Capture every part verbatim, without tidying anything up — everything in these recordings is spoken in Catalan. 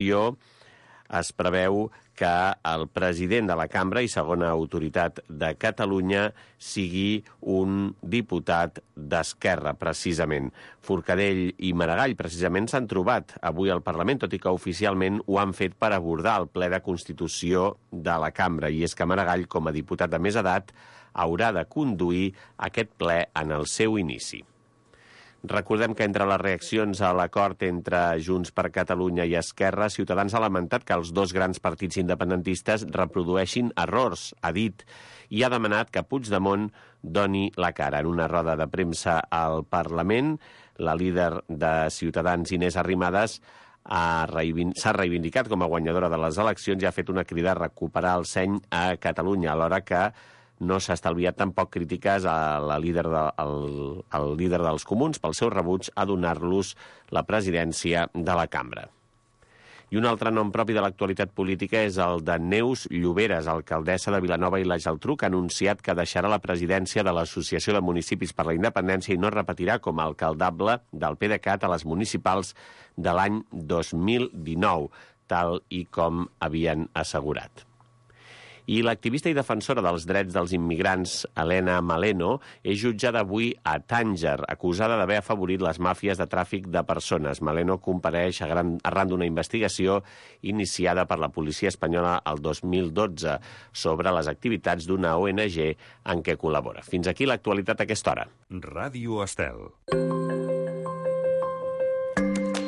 es preveu que el president de la cambra i segona autoritat de Catalunya sigui un diputat d'Esquerra, precisament. Forcadell i Maragall, precisament, s'han trobat avui al Parlament, tot i que oficialment ho han fet per abordar el ple de Constitució de la cambra. I és que Maragall, com a diputat de més edat, haurà de conduir aquest ple en el seu inici. Recordem que entre les reaccions a l'acord entre Junts per Catalunya i Esquerra, Ciutadans ha lamentat que els dos grans partits independentistes reprodueixin errors, ha dit, i ha demanat que Puigdemont doni la cara. En una roda de premsa al Parlament, la líder de Ciutadans, Inés Arrimadas, s'ha reivindicat com a guanyadora de les eleccions i ha fet una crida a recuperar el seny a Catalunya, alhora que no s'ha estalviat tampoc crítiques a la líder de, al, al líder dels comuns pel seu rebuig a donar-los la presidència de la cambra. I un altre nom propi de l'actualitat política és el de Neus Lloberes, alcaldessa de Vilanova i la Geltrú, que ha anunciat que deixarà la presidència de l'Associació de Municipis per la Independència i no repetirà com a alcaldable del PDeCAT a les municipals de l'any dos mil dinou, tal i com havien assegurat. I l'activista i defensora dels drets dels immigrants, Helena Maleno, és jutjada avui a Tànger, acusada d'haver afavorit les màfies de tràfic de persones. Maleno compareix arran d'una investigació iniciada per la policia espanyola el dos mil dotze sobre les activitats d'una O N G en què col·labora. Fins aquí l'actualitat a aquesta hora. Ràdio Estel.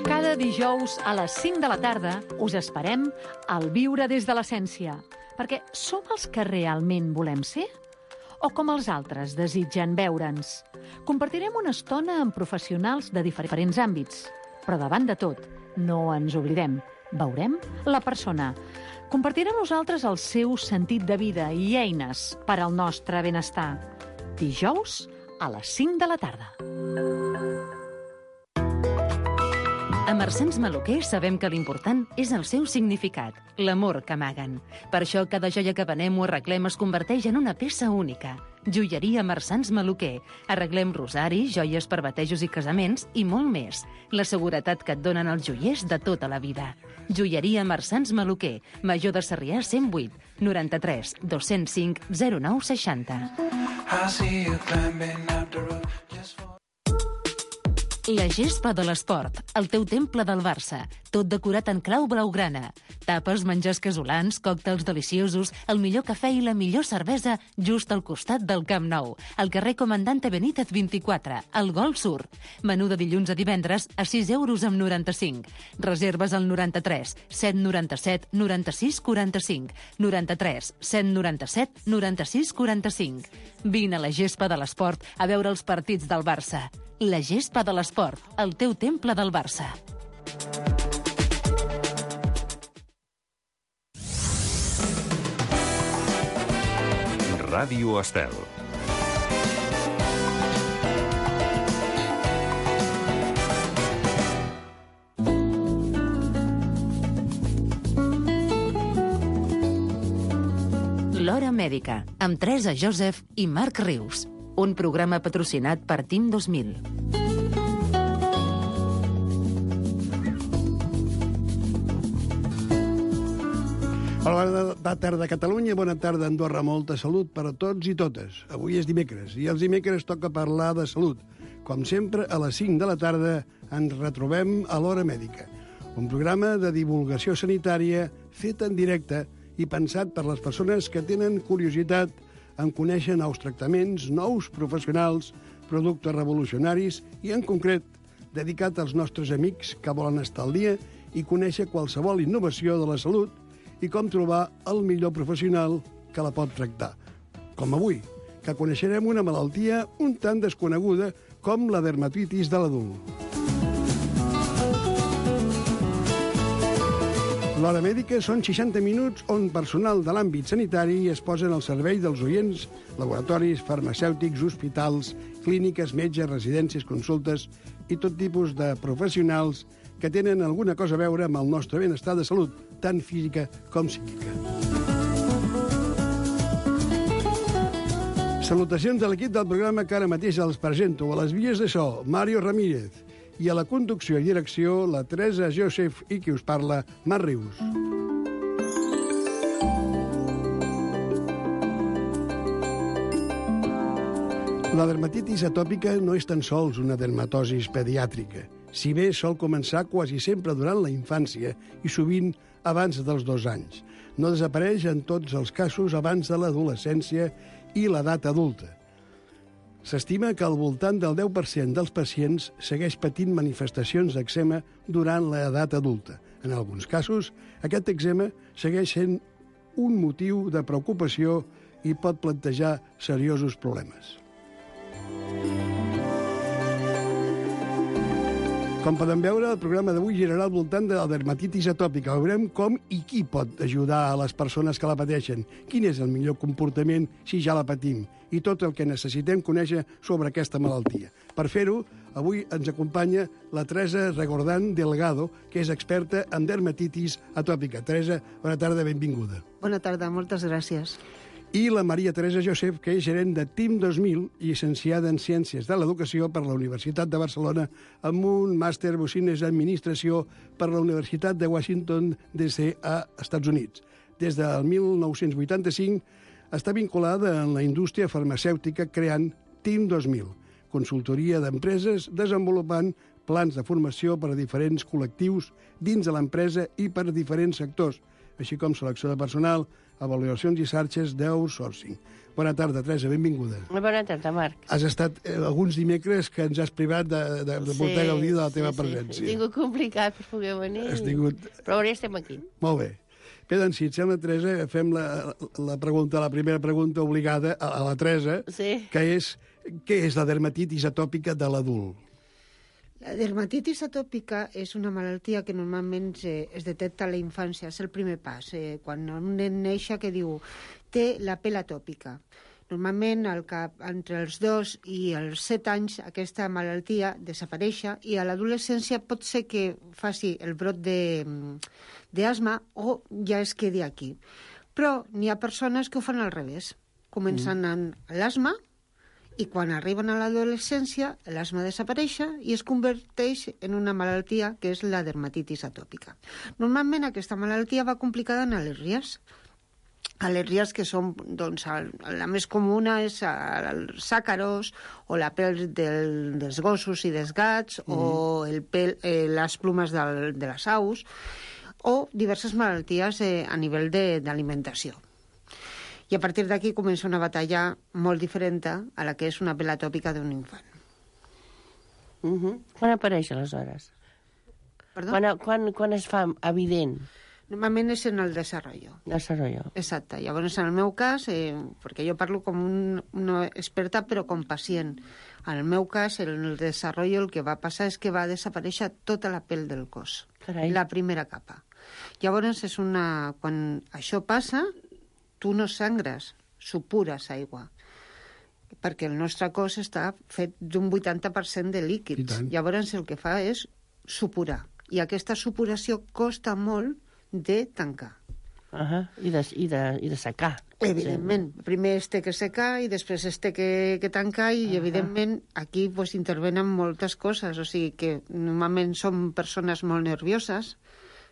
Cada dijous a les cinc de la tarda us esperem al Viure des de l'Essència. Perquè som els que realment volem ser? O com els altres desitgen veure'ns? Compartirem una estona amb professionals de diferents àmbits. Però davant de tot, no ens oblidem. Veurem la persona. Compartirà amb nosaltres el seu sentit de vida i eines per al nostre benestar. Dijous a les cinc de la tarda. A Marsans Maluquer sabem que l'important és el seu significat, l'amor que amaguen. Per això cada joia que venem o arreglem es converteix en una peça única. Joieria Marsans Maluquer. Arreglem rosaris, joies per batejos i casaments i molt més. La seguretat que et donen els joiers de tota la vida. Joieria Marsans Maluquer. Major de Sarrià cent vuit, noranta-tres, dos-cents cinc, zero nou seixanta. La gespa de l'esport, el teu temple del Barça, tot decorat en clau blaugrana. Tapes, menjars casolans, còctels deliciosos, el millor cafè i la millor cervesa just al costat del Camp Nou, al carrer Comandante Benítez vint-i-quatre, al Golf Sur. Menú de dilluns a divendres a sis euros amb noranta-cinc. Reserves al noranta-tres, set noranta-set, noranta-sis, quaranta-cinc, noranta-tres, set noranta-set, noranta-sis, quaranta-cinc. Vine a la gespa de l'esport a veure els partits del Barça. La gespa de l'esport, el teu temple del Barça. Ràdio Estel. L'Hora Mèdica, amb Teresa Joseph i Marc Rius. Un programa patrocinat per Team dos mil. Hola, bona tarda Catalunya, bona tarda Andorra, molta salut per a tots i totes. Avui és dimecres i els dimecres toca parlar de salut. Com sempre, a les cinc de la tarda ens retrobem a l'Hora Mèdica, un programa de divulgació sanitària fet en directe i pensat per les persones que tenen curiositat en conèixer nous tractaments, nous professionals, productes revolucionaris i, en concret, dedicat als nostres amics que volen estar al dia i conèixer qualsevol innovació de la salut i com trobar el millor professional que la pot tractar. Com avui, que coneixerem una malaltia un tant desconeguda com la dermatitis de l'adult. L'Hora Mèdica són seixanta minuts on personal de l'àmbit sanitari es posen al servei dels oients, laboratoris, farmacèutics, hospitals, clíniques, metges, residències, consultes i tot tipus de professionals que tenen alguna cosa a veure amb el nostre benestar de salut, tant física com psíquica. Salutacions de l'equip del programa que ara mateix els presento. A les vies de so, Mario Ramírez. I a la conducció i direcció, la Teresa Joseph i qui us parla, Mar Rius. La dermatitis atòpica no és tan sols una dermatosis pediàtrica, si bé sol començar quasi sempre durant la infància i sovint abans dels dos anys. No desapareix en tots els casos abans de l'adolescència i l'edat adulta. S'estima que al voltant del deu per cent dels pacients segueix patint manifestacions d'èczema durant l'edat adulta. En alguns casos, aquest èczema segueix sent un motiu de preocupació i pot plantejar seriosos problemes. Com podem veure, el programa d'avui girarà al voltant de la dermatitis atòpica. Veurem com i qui pot ajudar a les persones que la pateixen, quin és el millor comportament si ja la patim, i tot el que necessitem conèixer sobre aquesta malaltia. Per fer-ho, avui ens acompanya la Teresa Regordán Delgado, que és experta en dermatitis atòpica. Teresa, bona tarda, benvinguda. Bona tarda, moltes gràcies. I la Maria Teresa Joseph, que és gerent de Team dos mil, llicenciada en Ciències de l'Educació per la Universitat de Barcelona, amb un màster Bocines Administració per la Universitat de Washington, D C a Estats Units. Des del mil nou-cents vuitanta-cinc està vinculada en la indústria farmacèutica creant Team dos mil, consultoria d'empreses desenvolupant plans de formació per a diferents col·lectius dins de l'empresa i per a diferents sectors, així com selecció de personal, avaluacions i xarxes d'outsourcing. Bona tarda, Teresa, benvinguda. Bona tarda, Marc. Has estat eh, alguns dimecres que ens has privat de, de, de poder sí, gaudir de la teva sí, presència. Sí, he tingut complicat per poder venir, Has tingut... però ara estem aquí. Molt bé. Bé, doncs, si et sembla, Teresa, fem la, la pregunta, la primera pregunta obligada a, a la Teresa, sí. que és què és la dermatitis atòpica de l'adult? La dermatitis atòpica és una malaltia que normalment eh, es detecta a la infància, és el primer pas. Eh, quan un nen neix que diu té la pell atòpica. Normalment al cap, entre els dos i els set anys aquesta malaltia desapareix i a l'adolescència pot ser que faci el brot d'asma o ja es quedi aquí. Però n'hi ha persones que ho fan al revés. Comencen mm. amb l'asma, i quan arriben a l'adolescència, l'asma desapareix i es converteix en una malaltia que és la dermatitis atòpica. Normalment aquesta malaltia va complicada en al·lèrgies. Al·lèrgies que són, doncs, la més comuna és els àcaros o la pell del, dels gossos i dels gats mm. o el pell, eh, les plomes del, de les aus o diverses malalties eh, a nivell d'alimentació. I a partir d'aquí comença una batalla molt diferent a la que és una pell atòpica d'un infant. Uh -huh. Quan apareix, aleshores? Perdó? Quan, quan, quan es fa evident? Normalment és en el desenvolupament. Desenvolupament. Exacte. Llavors, en el meu cas, eh, perquè jo parlo com un, una experta, però com pacient. En el meu cas, en el desenvolupament el que va passar és que va desaparèixer tota la pell del cos. Carai. La primera capa. Llavors, és una... quan això passa, tu no sangres, supures aigua, perquè el nostre cos està fet d'un vuitanta per cent de líquids. Llavors el que fa és supurar, i aquesta supuració costa molt de tancar. Uh -huh. I, de, i, de, I de secar. Evidentment. Sí. Primer es té que secar i després es té que, que tancar i, uh -huh. evidentment, aquí pues, intervenen moltes coses. O sigui que normalment som persones molt nervioses,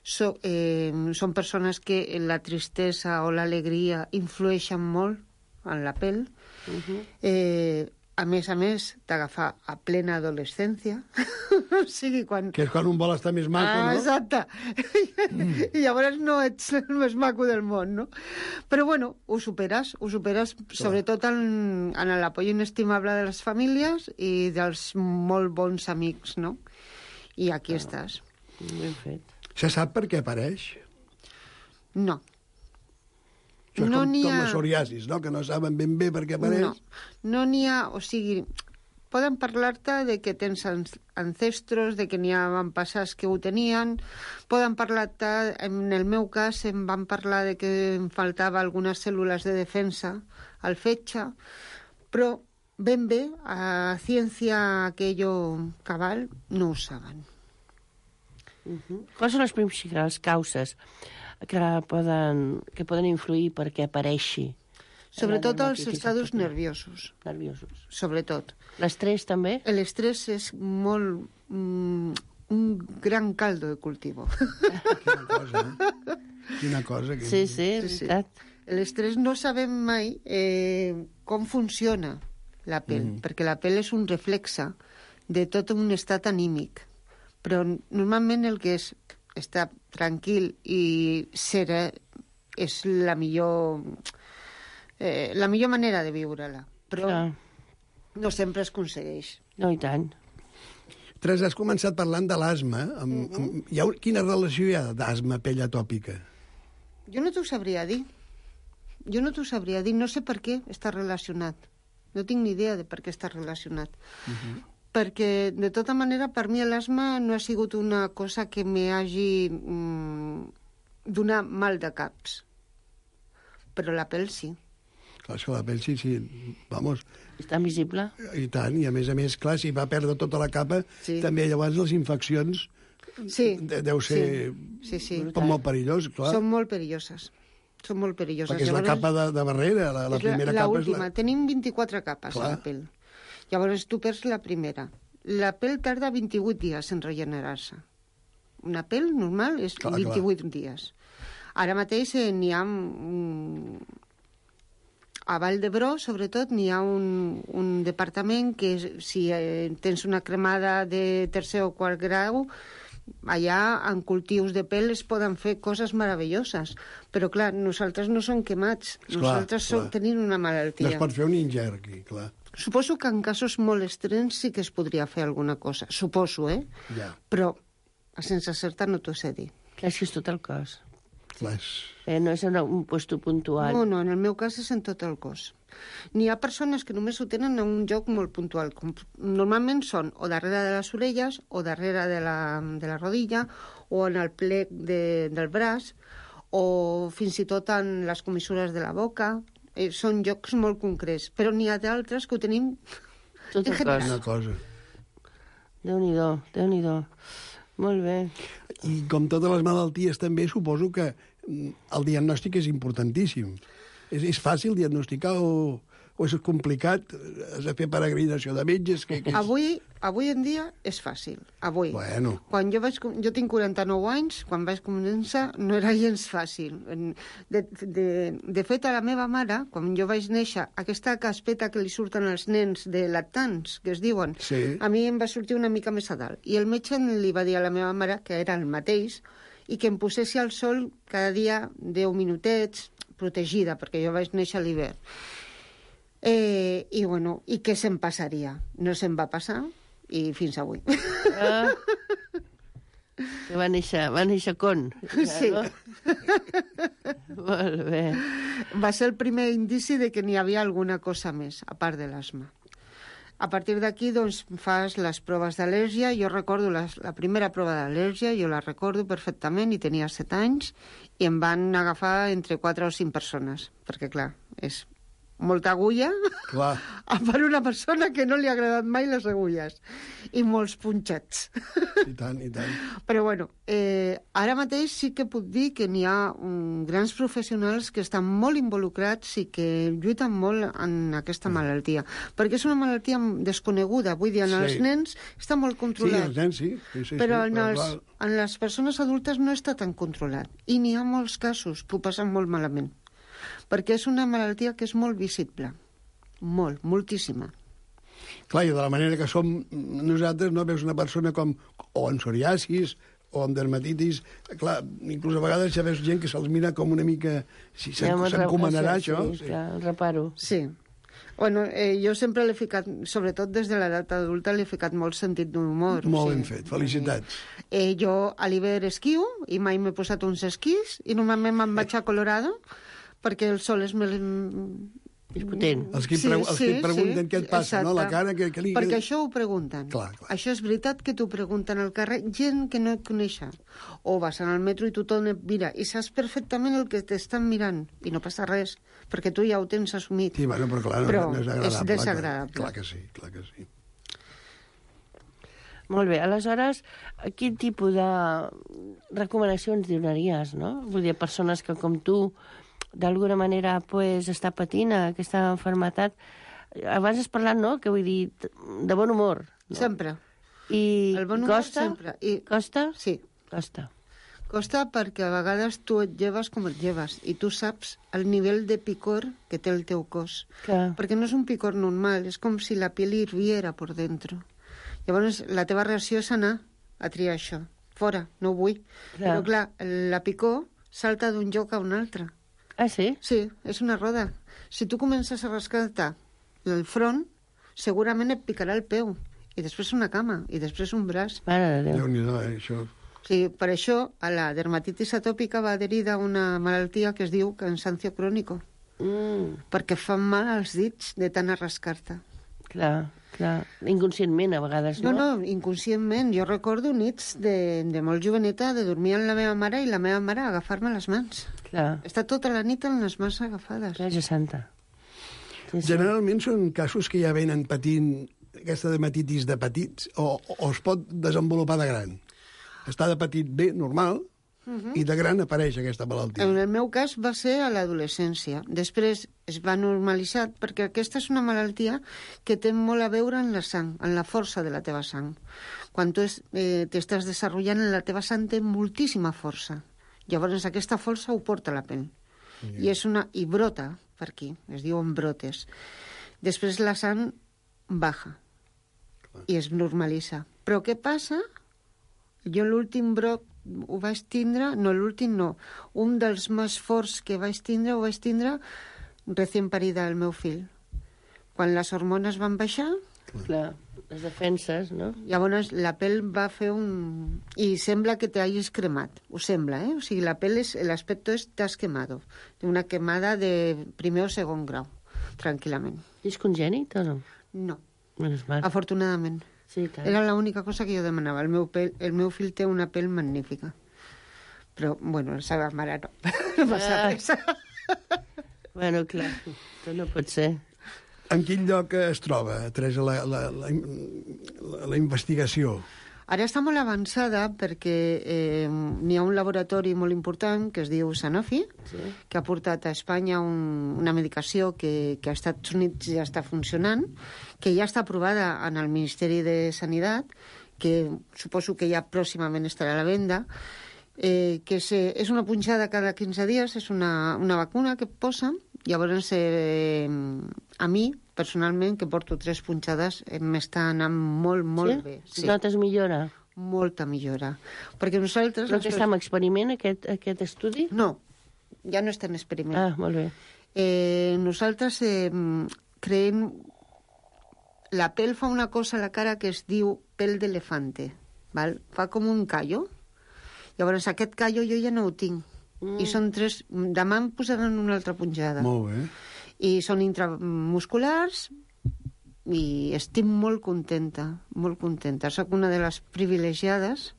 So, eh, són persones que la tristesa o l'alegria influeixen molt en la pell. Uh-huh. eh, a més a més, t'agafa a plena adolescència. O sigui, quan... Que és quan un vol estar més maco, ah, no? Exacte. Mm. I llavors no ets el més maco del món, no? Però, bueno, ho superes, ho superes Clar. sobretot en, en l'apoyo inestimable de les famílies i dels molt bons amics, no? I aquí ah. estàs. Ben fet. Se sap per què apareix? No. Això és no com, com ha... la psoriasis, no? Que no saben ben bé per què apareix. No, no n'hi ha... O sigui, poden parlar-te de que tens ancestros, de que n'hi ha avantpassats que ho tenien, poden parlar-te... En el meu cas em van parlar de que em faltava algunes cèl·lules de defensa al fetge, però ben bé, a ciència aquello cabal, no ho saben. Uh-huh. Quines són les principals causes que poden, que poden influir perquè apareixi? Sobretot els estados nerviosos. Nerviosos. Sobretot. L'estrès també? L'estrès és molt, mm, un gran caldo de cultivo. Quina cosa, eh? Quina cosa. Que... Sí, sí, és Sí, sí. veritat. L'estrès no sabem mai eh, com funciona la pell, mm. perquè la pell és un reflexe de tot un estat anímic. Però normalment el que és estar tranquil i serè és la millor, eh, la millor manera de viure-la. Però Clar. no sempre es aconsegueix. No, i tant. Teresa, has començat parlant de l'asma. Amb, Mhm. amb, hi ha, quina relació hi ha d'asma, pell atòpica? Jo no t'ho sabria dir. Jo no t'ho sabria dir. No sé per què està relacionat. No tinc ni idea de per què està relacionat. Uh-huh. Perquè, de tota manera, per mi l'asma no ha sigut una cosa que me hagi mm, donat mal de caps. Però la pell sí. Clar, és que la pell sí, sí, vamos, Està visible? i tant, i a més a més, clar, si va perdre tota la capa, Sí. també llavors les infeccions Sí. de, deu ser Sí, sí. com molt perillós, clar, Són molt perilloses. Són molt perilloses. perquè és la capa de, de barrera, la, la és primera la, capa última. és la... Tenim vint-i-quatre capes Clar. a la pell. Llavors tu perds la primera. La pell tarda vint-i-vuit dies en regenerar-se. Una pell normal és Clar, vint-i-vuit dies. Ara mateix eh, n'hi ha... Mm, a Vall d'Hebron, sobretot, n'hi ha un, un departament que si eh, tens una cremada de tercer o quart grau, allà en cultius de pell es poden fer coses meravelloses. Però, clar, nosaltres no som quemats. Esclar, nosaltres som, clar. tenim una No malaltia. es pot fer un ingert aquí, clar. Suposo que en casos molt extrems sí que es podria fer alguna cosa. Suposo, eh? Ja, Però, a sense certa, no t'ho sé dir. Clar, és que és tot el cos. clar, és... Eh, no és en un puesto puntual. No, no, en el meu cas és en tot el cos. N'hi ha persones que només ho tenen en un lloc molt puntual. Com, normalment són o darrere de les orelles, o darrere de la, de la rodilla, o en el plec de, del braç, o fins i tot en les comissures de la boca. Eh, són llocs molt concrets. Però n'hi ha d'altres que ho tenim Tot en el general. cos. una cosa. Déu-n'hi-do, Déu-n'hi-do. Molt bé. I com totes les malalties també, suposo que mm, el diagnòstic és importantíssim. És, és fàcil diagnosticar o, o és complicat? Has de fer peregrinació de metges? Que, que és... Avui, avui en dia és fàcil. Avui. Bueno, Quan jo vaig... com- Jo tinc quaranta-nou anys, quan vaig començar no era gens fàcil. En- De, de, de fet, a la meva mare, quan jo vaig néixer, aquesta caspeta que li surten als nens de lactants, que es diuen, Sí. a mi em va sortir una mica més a dalt. I el metge li va dir a la meva mare que era el mateix i que em posessi al sol cada dia deu minutets, protegida, perquè jo vaig néixer a l'hivern. Eh, I, bueno, i què se'm passaria? No se'm va passar, i fins avui. Ah. Que va néixer, va néixer con. Sí. No? Molt bé. Va ser el primer indici de que n'hi havia alguna cosa més, a part de l'asma. A partir d'aquí, doncs, fas les proves d'al·lèrgia. Jo recordo les, la primera prova d'al·lèrgia, jo la recordo perfectament, i tenia set anys, i em van agafar entre quatre o cinc persones, perquè, clar, és molta agulla clar. per una persona que no li ha agradat mai les agulles, i molts punxats. I tant, i tant. Però, bueno, eh, ara mateix sí que puc dir que n'hi ha um, grans professionals que estan molt involucrats i que lluiten molt en aquesta malaltia. Perquè és una malaltia desconeguda. Vull dir, en Sí. els nens està molt Sí, controlat. els nens sí. sí, sí però, sí, en, els, clar, en les persones adultes no està tan controlat. I n'hi ha molts casos que ho passen molt malament. Perquè és una malaltia que és molt visible. Molt, moltíssima. clar, i de la manera que som nosaltres, no veus una persona com o amb psoriasis o amb dermatitis, clar, inclús a vegades ja veus gent que se'ls mira com una mica... Si Ja me'n s'encomanarà re- això. Sí, clar, el reparo. Sí. Bueno, eh, jo sempre l'he ficat, sobretot des de l'edat adulta, l'he ficat molt sentit d'humor. Molt o ben sigui, fet, felicitats. Eh, jo a l'hivern esquio i mai m'he posat uns esquís i normalment me'n vaig a Colorado perquè el sol és més... És potent. Els que, pregu els que et pregunten què et passa, no? La cara que, que li... Perquè això ho pregunten. Clar, clar. Això és veritat que t'ho pregunten al carrer, gent que no et coneixen. O vas al metro i tothom et mira i saps perfectament el que t'estan mirant i no passa res, perquè tu ja ho tens assumit. Sí, bueno, però clar, no, Però no és agradable. és desagradable. Clar, clar que sí, clar que sí. Molt bé, aleshores, quin tipus de recomanacions donaries, no? Vull dir, persones que, com tu, d'alguna manera, pues, està patint aquesta malaltia. Abans has parlat, no?, que vull dir, de bon humor. No? Sempre. I El bon humor costa? sempre. I... Costa? Sí. Costa. Costa perquè a vegades tu et lleves com et lleves i tu saps el nivell de picor que té el teu cos. Clar. Perquè no és un picor normal, és com si la pell hirviera por dentro. Llavors la teva reacció és anar a triar això. Fora, no ho vull. Clar. Però clar, la picor salta d'un lloc a un altre. Ah, sí? Sí, és una roda. Si tu comences a rascar-te el front, segurament et picarà el peu, i després una cama, i després un braç. Mare de Déu. Déu-n'hi-do, eh, això. O sigui, per això a la dermatitis atòpica va adherida una malaltia que es diu cansancio crònico, Mm, perquè fan mal als dits de tant arrascar-te. clar, clar. Inconscientment, a vegades, No, no? no, inconscientment. Jo recordo nits de, de molt joveneta de dormir amb la meva mare i la meva mare agafar-me les mans. Clar, Està tota la nit amb les mans agafades. clar, ja santa. Sí, sí. Generalment són casos que ja venen patint aquesta dermatitis de petits o, o es pot desenvolupar de gran. Està de petit bé, normal, uh-huh. i de gran apareix aquesta malaltia. En el meu cas va ser a l'adolescència. Després es va normalitzar perquè aquesta és una malaltia que té molt a veure en la sang, en la força de la teva sang. Quan tu es, eh, t'estàs desenvolupant, la teva sang té moltíssima força. Llavors aquesta força ho porta la pell. Yeah. I, és una, I brota per aquí, es diuen brotes. Després la sang baja Clar. I es normalitza. Però què passa? Jo l'últim brot ho vaig tindre, no l'últim no, un dels més forts que vaig tindre ho vaig tindre recient parida el meu fill. Quan les hormones van baixar, Clar, les defenses, no? llavors la pell va fer un... I sembla que t'hagis cremat, ho sembla, eh? O sigui, la pell, és, l'aspecto és t'has quemado, una quemada de primer o segon grau, tranquil·lament. És congènit o no? No, Menos mal. afortunadament. Sí, tant. Era l'única cosa que jo demanava. El meu, pell, el meu fill té una pell magnífica. Però, bueno, la seva mare no. No passa Ah. res. Bueno, clar, això no pot ser. En quin lloc es troba, Teresa, la, la, la, la, la investigació? Ara està molt avançada perquè eh, n'hi ha un laboratori molt important que es diu Sanofi, Sí. que ha portat a Espanya un, una medicació que, que als Estats Units ja està funcionant, que ja està aprovada en el Ministeri de Sanitat, que suposo que ja pròximament estarà a la venda, eh, que és, eh, és una punxada cada quinze dies, és una, una vacuna que et posa. Llavors, eh, a mi, personalment, que porto tres punxades, eh, m'està anant molt, molt Sí? bé. Sí. Notes millora? Molta millora. Perquè nosaltres... Però les que està en experiment, aquest, aquest estudi? No, ja no està en experiment. Ah, molt bé. Eh, nosaltres eh, creem... La pell fa una cosa a la cara que es diu pell d'elefante, val? Fa com un callo. Llavors aquest callo jo ja no ho tinc. Mm. I són tres... Demà em posaran una altra punxada. Molt bé. I són intramusculars i estic molt contenta, molt contenta. Soc una de les privilegiades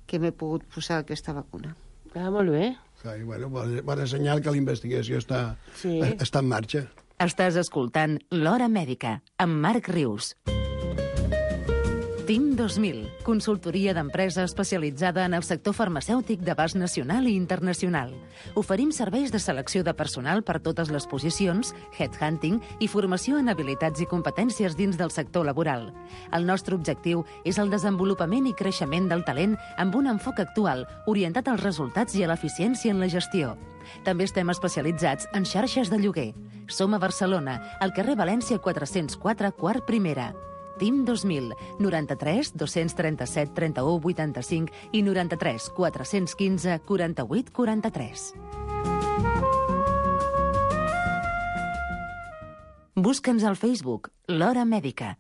que m'he pogut posar aquesta vacuna. Ah, molt bé. Sí, bueno, bon, bon senyal que la investigació està, Sí. està en marxa. Estàs escoltant L'Hora Mèdica, amb Marc Rius. TIM dos mil, consultoria d'empresa especialitzada en el sector farmacèutic d'abast nacional i internacional. Oferim serveis de selecció de personal per totes les posicions, headhunting i formació en habilitats i competències dins del sector laboral. El nostre objectiu és el desenvolupament i creixement del talent amb un enfoc actual, orientat als resultats i a l'eficiència en la gestió. També estem especialitzats en xarxes de lloguer. Som a Barcelona, al carrer València quatre-cents quatre, quart primera. TIM dos mil, noranta-tres dos-cents trenta-set trenta-u vuitanta-cinc i noranta-tres quatre-cents quinze quaranta-vuit quaranta-tres. Busca'ns al Facebook, L'Hora Mèdica.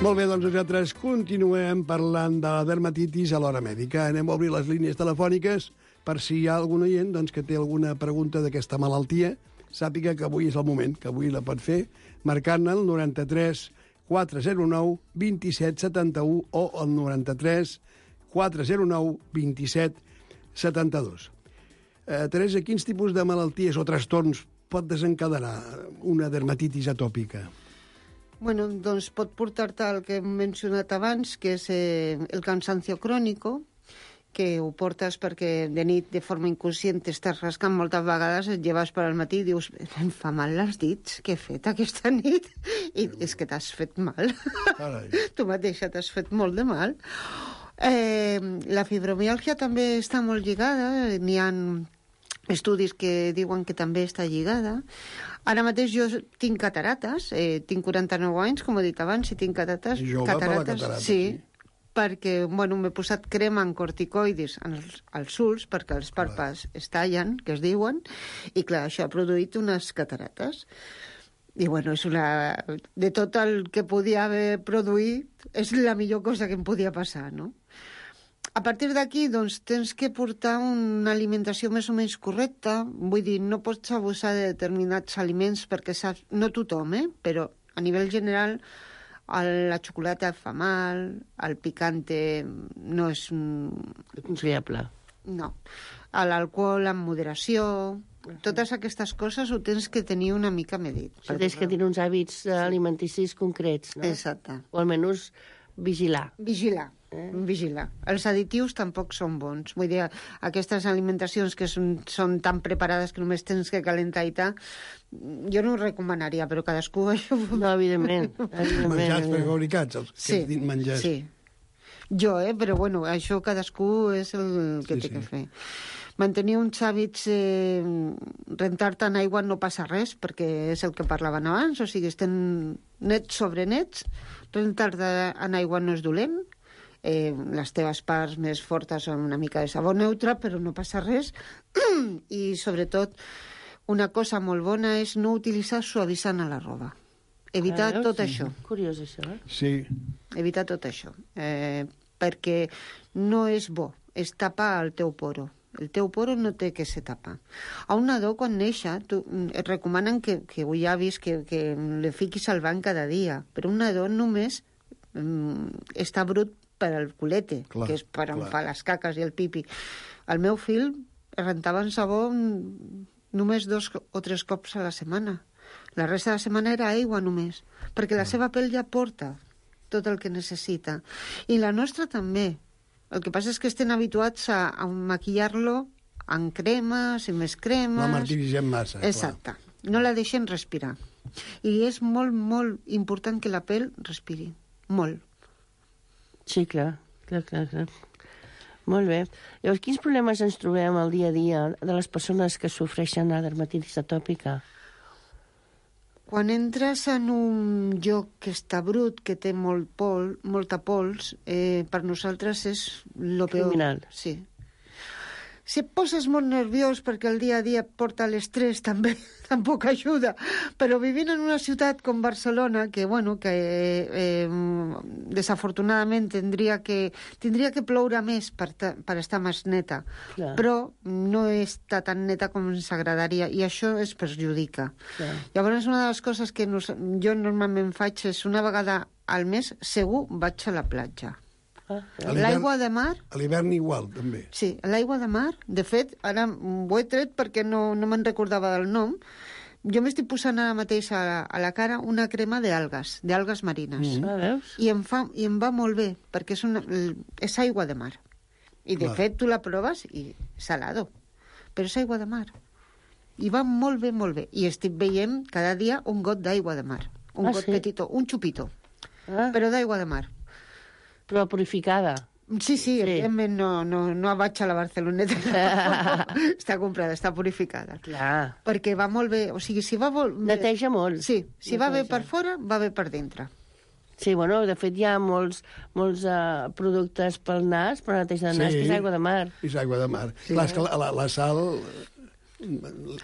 Molt bé, doncs nosaltres continuem parlant de la dermatitis a l'Hora Mèdica. Anem a obrir les línies telefòniques per si hi ha algun oient doncs, que té alguna pregunta d'aquesta malaltia. Sàpiga que avui és el moment, que avui la pot fer, marcant el noranta-tres quatre zero nou vint-i-set setanta-u o el noranta-tres quatre zero nou vint-i-set setanta-dos. Eh, Teresa, quins tipus de malalties o trastorns pot desencadenar una dermatitis atòpica? Bueno, doncs pot portar-te el que hem mencionat abans, que és eh, el cansancio crònico, que ho portes perquè de nit, de forma inconscient, t'estàs rascant moltes vegades, et lleves per al matí i dius, em fa mal els dits, què he fet aquesta nit? I és que t'has fet mal. Carai. Tu mateixa t'has fet molt de mal. Eh, la fibromiàlgia també està molt lligada, n'hi ha estudis que diuen que també està lligada. Ara mateix jo tinc catarates, eh, tinc quaranta-nou anys, com he dit abans, i tinc catarates. Jove per la catarata, sí, sí. perquè, bueno, m'he posat crema en corticoides als, als ulls, perquè els pàrpads es tallen, que es diuen, i clar, això ha produït unes catarates. I, bueno, és una... de tot el que podia haver produït, és la millor cosa que em podia passar, no? A partir d'aquí, doncs, tens que portar una alimentació més o menys correcta. Vull dir, no pots abusar de determinats aliments perquè saps... No tothom, eh? Però a nivell general el, la xocolata fa mal, el picante no és... Aconsellable. No. L'alcohol amb moderació... Totes aquestes coses ho tens que tenir una mica medit. Però tens que tenir uns hàbits alimenticis concrets, no? Exacte. O almenys vigilar. Vigilar. Eh? Vigilar. Els additius tampoc són bons. Vull dir, aquestes alimentacions que són, són tan preparades que només tens que calentar i tal, jo no ho recomanaria, però cadascú això... No, evidentment. evidentment Menjars prefabricats, els que sí, hem dit menjars. Sí, jo, eh? Però bueno, això cadascú és el que Sí, té sí. que fer. Mantenir uns hàbits, eh, rentar-te en aigua no passa res, perquè és el que parlaven abans, o sigui, estem nets sobre nets, rentar-te en aigua no és dolent, eh, les teves parts més fortes són una mica de sabó neutre, però no passa res, i sobretot una cosa molt bona és no utilitzar suavitzant a la roba. Evitar Ah, tot sí. això. Curiós, això, eh? Sí. Evitar tot això, eh, perquè no és bo, és tapar el teu poro. El teu poro no té que ser tapa. A un nadó, quan neixa, tu, et recomanen que, que ho ja vist, que, que le fiquis al banc cada dia, però un nadó només mm, està brut per al culete, Clar, que és per on clar. fa les caques i el pipi. El meu fill rentava en sabó mm, només dos o tres cops a la setmana. La resta de la setmana era aigua només, perquè la seva pell ja porta tot el que necessita. I la nostra també. El que passa és que estem habituats a, a maquillar-lo amb cremes i més cremes. La martiritzem massa. clar. Exacte. No la deixem respirar. I és molt, molt important que la pell respiri. Molt. Sí, clar, clar, clar, clar. Molt bé. Llavors, quins problemes ens trobem al dia a dia de les persones que sofreixen la dermatitis atòpica? Quan entres en un lloc que està brut, que té molt pol, molta pols, eh, per nosaltres és lo peor. Criminal. Sí. Si et poses molt nerviós perquè el dia a dia et porta l'estrès, també tampoc ajuda. Però vivint en una ciutat com Barcelona, que, bueno, que eh, desafortunadament tindria que, tindria que ploure més per, ta, per estar més neta, Clar. però no està tan neta com ens agradaria, i això es perjudica. Clar. Llavors, una de les coses que nos, jo normalment faig és una vegada al mes, segur, vaig a la platja. Ah, A l'hivern- L'aigua de mar... A l'hivern igual, també. Sí, l'aigua de mar, de fet, ara ho he tret perquè no, no me'n recordava del nom. Jo m'estic posant ara mateix a la, a la cara una crema d'algues, d'algues marines. ah, veus? I, em fa, I em va molt bé, perquè és, una, és aigua de mar. I, de Clar. fet, tu la proves i salado. Però és aigua de mar. I va molt bé, molt bé. I estic veient cada dia un got d'aigua de mar. Un Ah, got sí? petitó, un xupito, Ah, però d'aigua de mar. però purificada. Sí, sí, Sí. evidentment no, no, no vaig a la Barceloneta. Està comprada, està purificada. Clar. Perquè va molt bé, o sigui, si va molt bé... Neteja molt. Sí, si va bé Neteja. per fora, va bé per dintre. Sí, bueno, de fet hi ha molts, molts uh, productes pel nas, per neteja de nas, Sí. que és aigua de mar. És aigua de mar. Clar, és que la, la, la sal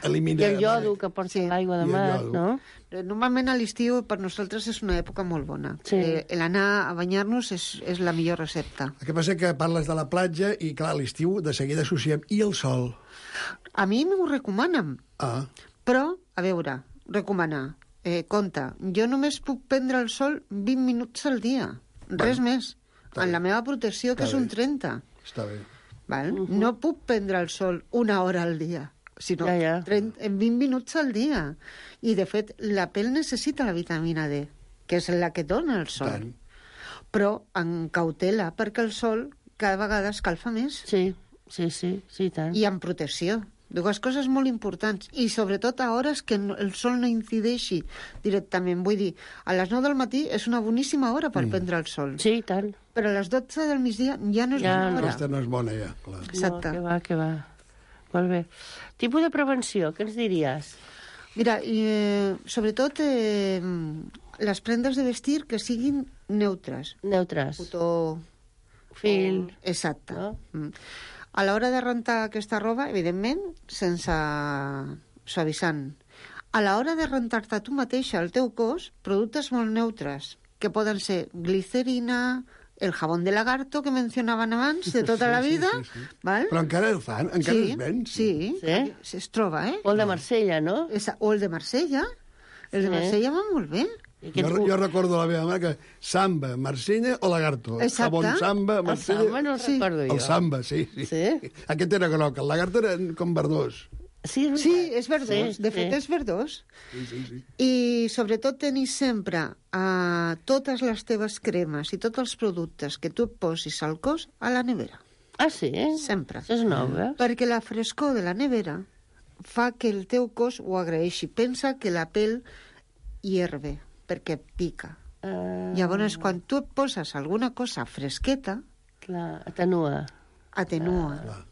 elimina... I el iodo que porta Sí. l'aigua de I el mar, iodo. no? Eh, Normalment a l'estiu per nosaltres és una època molt bona. Sí. Eh, L'anar a banyar-nos és, és la millor recepta. El que passa que parles de la platja i, clar, a l'estiu de seguida associem i el sol. A mi m'ho recomanen, Ah, però, a veure, recomanar. Eh, compte, jo només puc prendre el sol vint minuts al dia, res més. està En bé. la meva protecció, que Està és un bé. trenta. està bé. Val? Uh -huh. No puc prendre el sol una hora al dia, sinó Ja, ja. trenta, en vint minuts al dia. I, de fet, la pell necessita la vitamina D, que és la que dona el sol. Tant. Però en cautela, perquè el sol cada vegada escalfa més. Sí, sí, sí, sí, tant. I amb protecció. Dues coses molt importants. I sobretot a hores que no, el sol no incideixi directament. Vull dir, a les nou del matí és una boníssima hora per mm. prendre el sol. Sí, i tant. Però a les dotze del migdia ja no és Ja bona no. hora. Aquesta no és bona, ja, clar. Exacte. No, que va, que va. Molt bé. Tipus de prevenció, què ens diries? Mira, i, eh, sobretot eh, les prendes de vestir que siguin neutres. Neutres. Cotó... Fil. o- Exacte. No? Mm. A l'hora de rentar aquesta roba, evidentment, sense suavitzant. A l'hora de rentar-te tu mateixa el teu cos, productes molt neutres, que poden ser glicerina, el jabón de lagarto que mencionaven abans, de tota Sí, la sí, vida, sí, sí. val? Però encara el fan? Encara sí, es ven? Sí, Sí? sí, es troba, eh? O el de Marsella, no? Esa, o el de Marsella. El de Sí. Marsella va molt bé. I Jo, aquests- jo recordo la meva mare que samba, Marsella o lagarto. Exacte. Sabon samba, El Marsella... samba no el Sí. recordo jo. El samba, sí, sí. Sí? Aquest era groc, el lagarto era com verdós. Sí, és Sí, veritat. és verdós. Sí, de fet, sí. és verdós. Sí, sí, sí. I sobretot tenir sempre uh, totes les teves cremes i tots els productes que tu et posis al cos a la nevera. Ah, sí? Sempre. Això és nou, eh? Perquè la frescor de la nevera fa que el teu cos ho agraeixi. Pensa que la pell hierve, perquè pica. Uh, Llavors, quan tu et poses alguna cosa fresqueta, clar, atenua, atenua. Clar.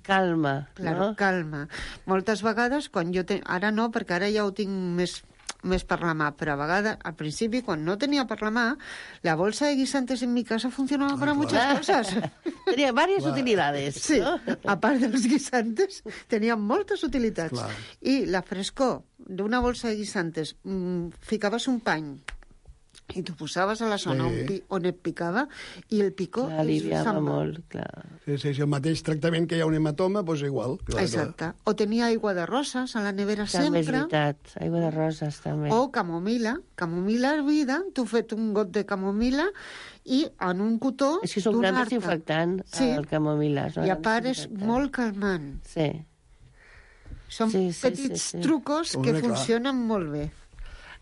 calma, Claro, no? calma. Moltes vegades, quan jo... Te... Ara no, perquè ara ja ho tinc més, més per la mà, però a vegades, al principi, quan no tenia per la mà, la bolsa de guisantes en mi casa funcionaba para muchas cosas. Tenia diverses Clar. utilidades, Sí, no? a part dels guisantes, tenia moltes utilitats. Clar. I la frescor d'una bolsa de guisantes, mmm, ficaves un pany i t'ho posaves a la zona Sí. on, pi on et picava i el picó Clar, aliviava se'n va. molt, clar. Sí, sí, sí, el mateix tractament que hi ha un hematoma, doncs igual. Clar, Exacte. O tenia aigua de roses a la nevera També és sempre. veritat, aigua de roses, també. O camomila, camomila hervida, tu fet un got de camomila i en un cotó És que és un gran donar-te. desinfectant, Sí. el camomila. és un I a gran part és desinfectant. molt calmant. Sí. Són Sí, sí, petits sí, sí. trucos que Hombre, clar. funcionen molt bé.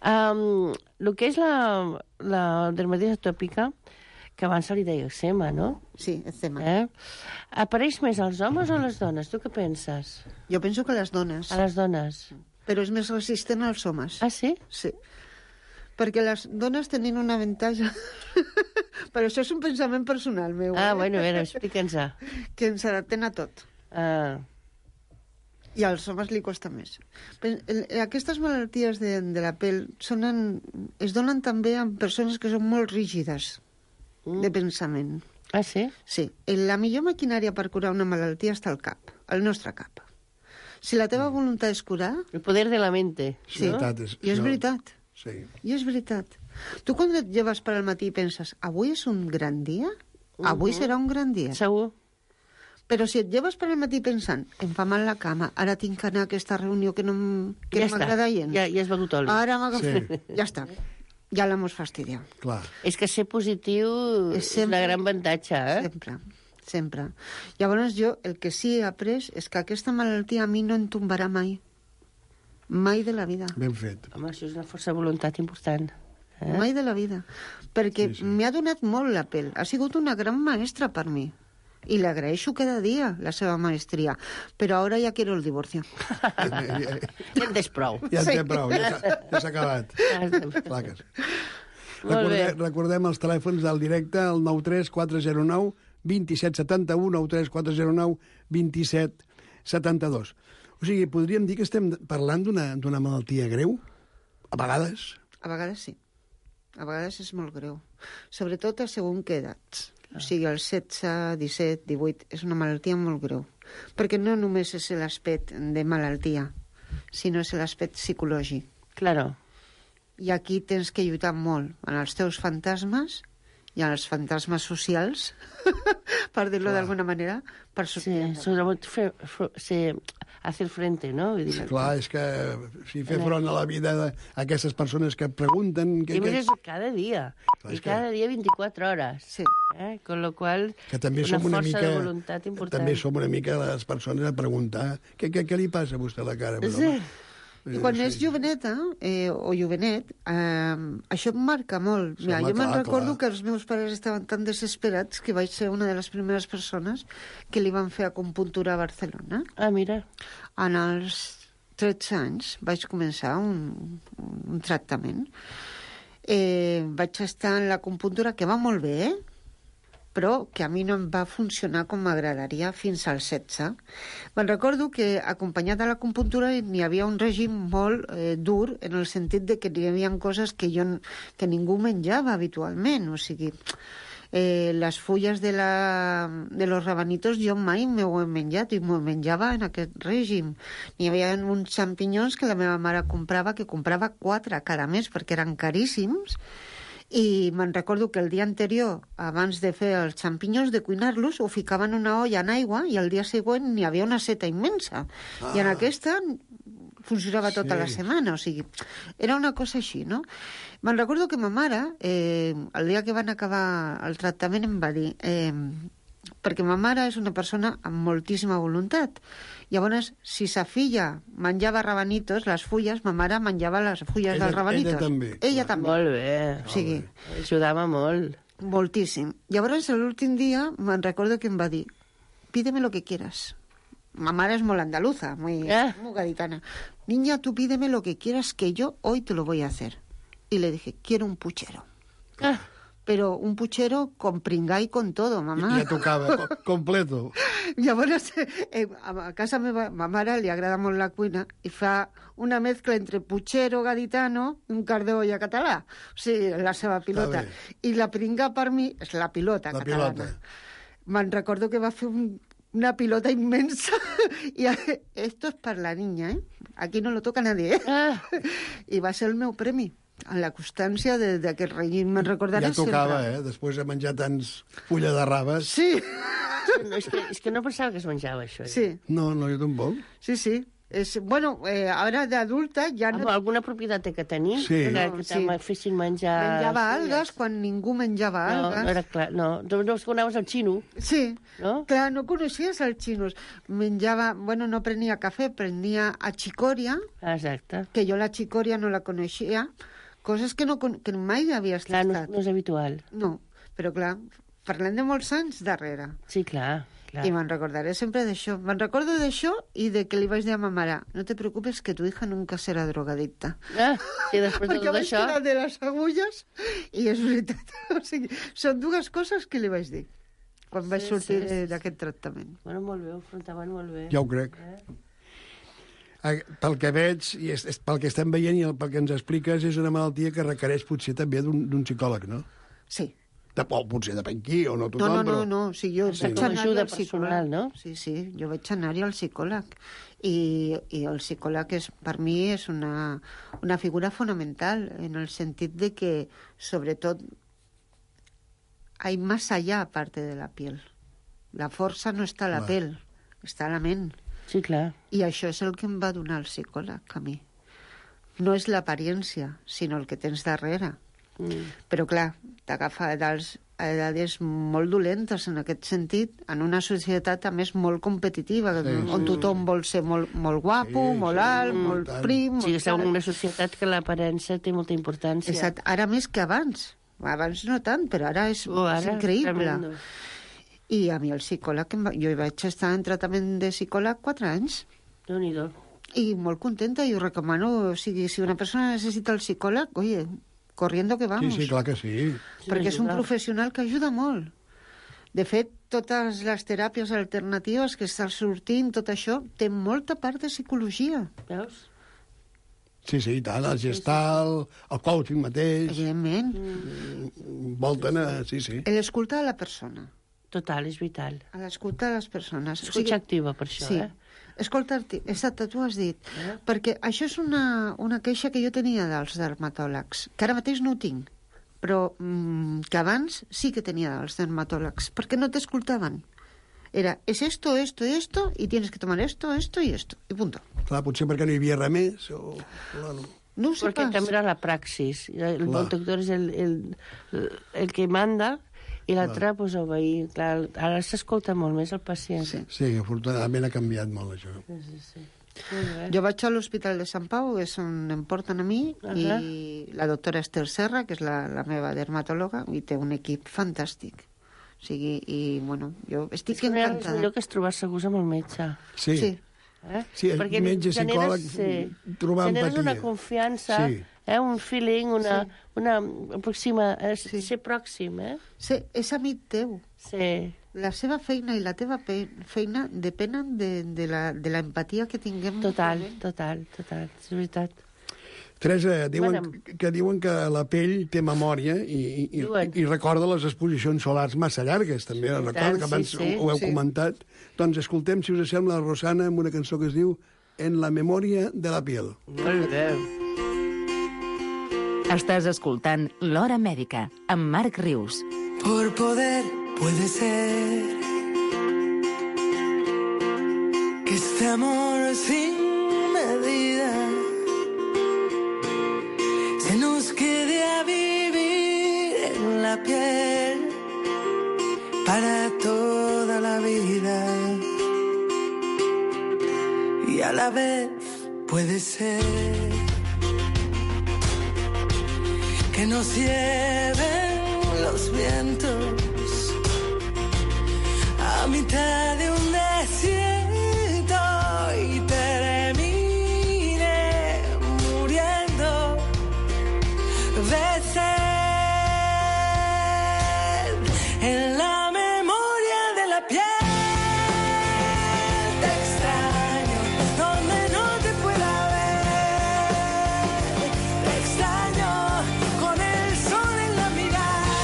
Um, el que és la, la dermatitis atòpica, que abans se li deia eczema, no? Sí, eczema. Eh? Apareix més als homes o a les dones? Tu què penses? Jo penso que les dones, A les dones. però és més resistent als homes. Ah, sí? Sí. Perquè les dones tenen un avantatge... però això és un pensament personal meu. Ah, eh? bueno, a veure, explica'ns. Que ens adapten a tot. Ah, I als homes li costa més. Però, el- aquestes malalties de, de la pell són en, es donen també en persones que són molt rígides de pensament. ah sí? Sí, la millor maquinària per curar una malaltia està al cap, al nostre cap. Si la teva voluntat és curar, El poder de la mente. sí, veritat, és- i és no. veritat, Sí. i és veritat. Tu quan et lleves per al matí i penses, avui és un gran dia? Avui serà un gran dia. Segur? Però si et lleves per al matí pensant, em fa mal la cama, ara tinc que anar a aquesta reunió que no, m- que ja no està. m'agrada gens. Ja, ja has begut oli. Ara m'agafo. Sí. Ja està. Ja l'hemos fastidiat. Clar. És que ser positiu És és sempre- una gran avantatge, eh? Sempre, sempre. Llavors jo el que sí he après és que aquesta malaltia a mi no em tombarà mai. Mai de la vida. Ben fet. Home, això és una força de voluntat important. Eh? Mai de la vida. Perquè Sí, sí. m'ha donat molt la pell. Ha sigut una gran maestra per mi. I le agraeixo cada dia la seva maestria. Però ara ja quiero el divorcio. Ja, ja, Ja en tens prou. ja en Sí. té prou, ja s'ha ja s'ha acabat. Clar que sí. Molt bé. Recordem, recordem els telèfons del directe, el nou tres quatre zero nou dos set set u, nou tres quatre zero nou dos set set dos. O sigui, podríem dir que estem parlant d'una d'una malaltia greu? A vegades? A vegades sí. A vegades és molt greu. Sobretot a segon que edats. O sigui, els setze, disset, divuit, és una malaltia molt greu. Perquè no només és l'aspecte de malaltia, sinó és l'aspecte psicològic. Claro. I aquí tens que lluitar molt en els teus fantasmes i en els fantasmes socials, per dir-lo d'alguna manera, per Sí, sortir. sobretot fer, fer, ser, hacer frente, no? Vull dir, Clar, és que si fer front a la vida d'aquestes persones que pregunten... Que, I a més que, és cada dia. Clar, I és que- cada dia vint-i-quatre hores. Sí. Eh? Con lo qual, que també una som una força mica... de voluntat important. També som una mica les persones a preguntar què, què, què li passa a vostè a la cara? Però, Sí. home, I quan és joveneta, eh, o jovenet, eh, això em marca molt. Sí, Mira, home, jo me'n clar, recordo clar. que els meus pares estaven tan desesperats que vaig ser una de les primeres persones que li van fer acupuntura a Barcelona. Ah, mira. En els tretze anys vaig començar un, un tractament. Eh, vaig estar en l'acupuntura, que va molt bé, eh? Però que a mi no em va funcionar com m'agradaria fins als setze. Me'n recordo que, acompanyat de l'acupuntura, n'hi havia un règim molt eh, dur, en el sentit de que hi havia coses que, jo, que ningú menjava habitualment. O sigui, eh, les fulles de, la, de los rabanitos jo mai m'ho he menjat i m'ho menjava en aquest règim. N'hi havia uns xampinyons que la meva mare comprava, que comprava quatre cada mes perquè eren caríssims, i me'n recordo que el dia anterior, abans de fer els xampinyons, de cuinar-los, ho ficaven en una olla en aigua i el dia següent n'hi havia una seta immensa. Ah. I en aquesta funcionava tota Sí. la setmana, o sigui, era una cosa així, no? Me'n recordo que ma mare, eh, el dia que van acabar el tractament, em va dir... Eh, perquè ma mare és una persona amb moltíssima voluntat. Llavors, si sa filla menjava rabanitos, les fulles, ma mare menjava les fulles Ella- dels rabanitos. ella també, Ella clar. també. Molt bé. O sigui, Ajudava molt. moltíssim. Llavors, l'últim dia, me'n recordo que em va dir, pídeme lo que quieras. Ma mare es molt andaluza, muy, Ah. muy gaditana. Niña, tú pídeme lo que quieras, que yo hoy te lo voy a hacer. Y le dije, quiero un puchero. Ah, Pero un puchero con pringá y con todo, mamà. Ja tocava, co- completo. Llavors, eh, a casa meva, ma mare li agrada molt la cuina i fa una mescla entre puchero gaditano i un card d'olla català. O sigui, la seva pilota. bé. I la pringa per mi és la pilota La catalana. pilota. Me'n recordo que va fer un, una pilota inmensa i esto es per la niña, eh? Aquí no lo toca nadie, eh? ah. I va ser el meu premi. En la constància de- d'aquest règim. Me'n recordaré Ja tocava, sempre. eh? Després de menjar tants fulla de raves. Sí, No, és, que, és que no pensava que es menjava això. sí, No, no, jo tampoc. sí, sí. És, bueno, eh, ara d'adulta ja no... Amb alguna propietat té que tenir? Sí. Que, No, que sí. te fessin menjar... Menjava fulles. algues quan ningú menjava No, algues. no era clar. No, no, no conegues el xino, Sí, no? clar, no coneixies els xinos. Menjava, bueno, no prenia cafè, prenia achicoria, Ah, exacte. que jo la chicoria no la coneixia, coses que, no, con- que mai havies Clar, no, tastat. no és habitual. No, però clar, parlem de molts anys darrere. Sí, clar. clar. I me'n recordaré sempre d'això. Me'n recordo d'això i de que li vaig dir a ma mare, no te preocupes que tu hija nunca serà drogadicta. Ah, sí, després de Perquè tot vaig això... tirar de les agulles i és veritat. O sigui, són dues coses que li vaig dir quan vaig Sí, sortir sí, sí, eh, d'aquest tractament. Bueno, molt bé, ho afrontaven molt bé. Ja ho crec. Eh, Pel que veig, i és, és, pel que estem veient i el, pel que ens expliques, és una malaltia que requereix potser també d'un d'un psicòleg, no? Sí. De, o potser depèn qui, o no No, tothom, no, no, però... no. Sí, jo Sí. vaig Com a anar-hi ajuda al psicòleg. personal, no? Sí, sí, jo vaig anar-hi al psicòleg. I, i el psicòleg, és, per mi, és una, una figura fonamental, en el sentit de que, sobretot, hay más allá aparte de la piel. La força no està a la Clar. pell, està a la ment. Sí, clar. I això és el que em va donar el psicòleg, a mi. No és l'apariència, sinó el que tens darrere. Mm. Però, clar, t'agafa a edats, a edades molt dolentes en aquest sentit, en una societat, a més, molt competitiva, Sí, on sí, tothom vol ser molt, molt guapo, Sí, molt sí, alt, mm, molt tant. prim... Sí, molt estem en tal. una societat que l'aparença té molta importància. Exacte. Ara més que abans. Abans no tant, però ara és, Oh, ara, és increïble. tremendo. I a mi el psicòleg, em va- jo hi vaig estar en tractament de psicòleg quatre anys, Déu-n'hi-do. i molt contenta, i ho recomano. O sigui, si una persona necessita el psicòleg, oye, corriendo que Sí, vamos. sí, clar que sí. Sí, perquè és un ajuda. professional que ajuda molt. De fet, totes les teràpies alternatives que estan sortint, tot això, té molta part de psicologia, Veus? Sí, sí, i tant, el gestal, el coaching mateix, evidentment. volten a... Sí, sí. L'escoltar a la persona, Total, és vital. a l'escoltar a les persones. O Escucha activa, per això, sí. eh? Escoltar-te, exacte, tu has dit. Eh? Perquè això és una, una queixa que jo tenia dels dermatòlegs, que ara mateix no ho tinc, però mm, que abans sí que tenia dels dermatòlegs, perquè no t'escoltaven. Era, es esto, esto, esto, y tienes que tomar esto, esto y esto, i punto. Clar, potser perquè no hi havia res més, o... Clar, no. No ho sé Perquè pas. també era la praxis. El Clar. bon doctor és el, el, el que manda i l'altre, pues, obeir. Clar, ara s'escolta molt més el pacient. Sí. Sí, afortunadament ha canviat molt, això. Sí, sí, sí. Jo vaig a l'Hospital de Sant Pau, és on em porten a mi, uh -huh. i la doctora Esther Serra, que és la, la meva dermatòloga, i té un equip fantàstic. O sigui, i, bueno, jo estic és encantada. És millor que es trobar segurs amb el metge. Sí. Sí. Eh? Sí, el perquè metge, psicòleg, sí, trobar empatia. Generes una confiança, sí. eh, un feeling, una, sí. una aproxima, eh, sí. ser pròxim, eh? Sí, és amic teu. Sí. La seva feina i la teva feina depenen de, de, la, de la empatia que tinguem. Total, total, total, és veritat. Teresa, diuen bueno. que diuen que la pell té memòria i, i, i recorda les exposicions solars massa llargues, també. Sí, recorda, que abans sí, sí, ho heu sí. comentat. Doncs escoltem, si us sembla, Rosana, amb una cançó que es diu En la memòria de la piel. Molt bé. Estàs escoltant L'Hora Mèdica, amb Marc Rius. Por poder puede ser que este amor sin medida se nos quede a vivir en la piel para toda la vida, y a la vez puede ser que nos lleven los vientos a mitad de un desierto y termine muriendo de sed en la memoria de la piel. Te extraño donde no te pueda ver. Te extraño con el sol en la mirada,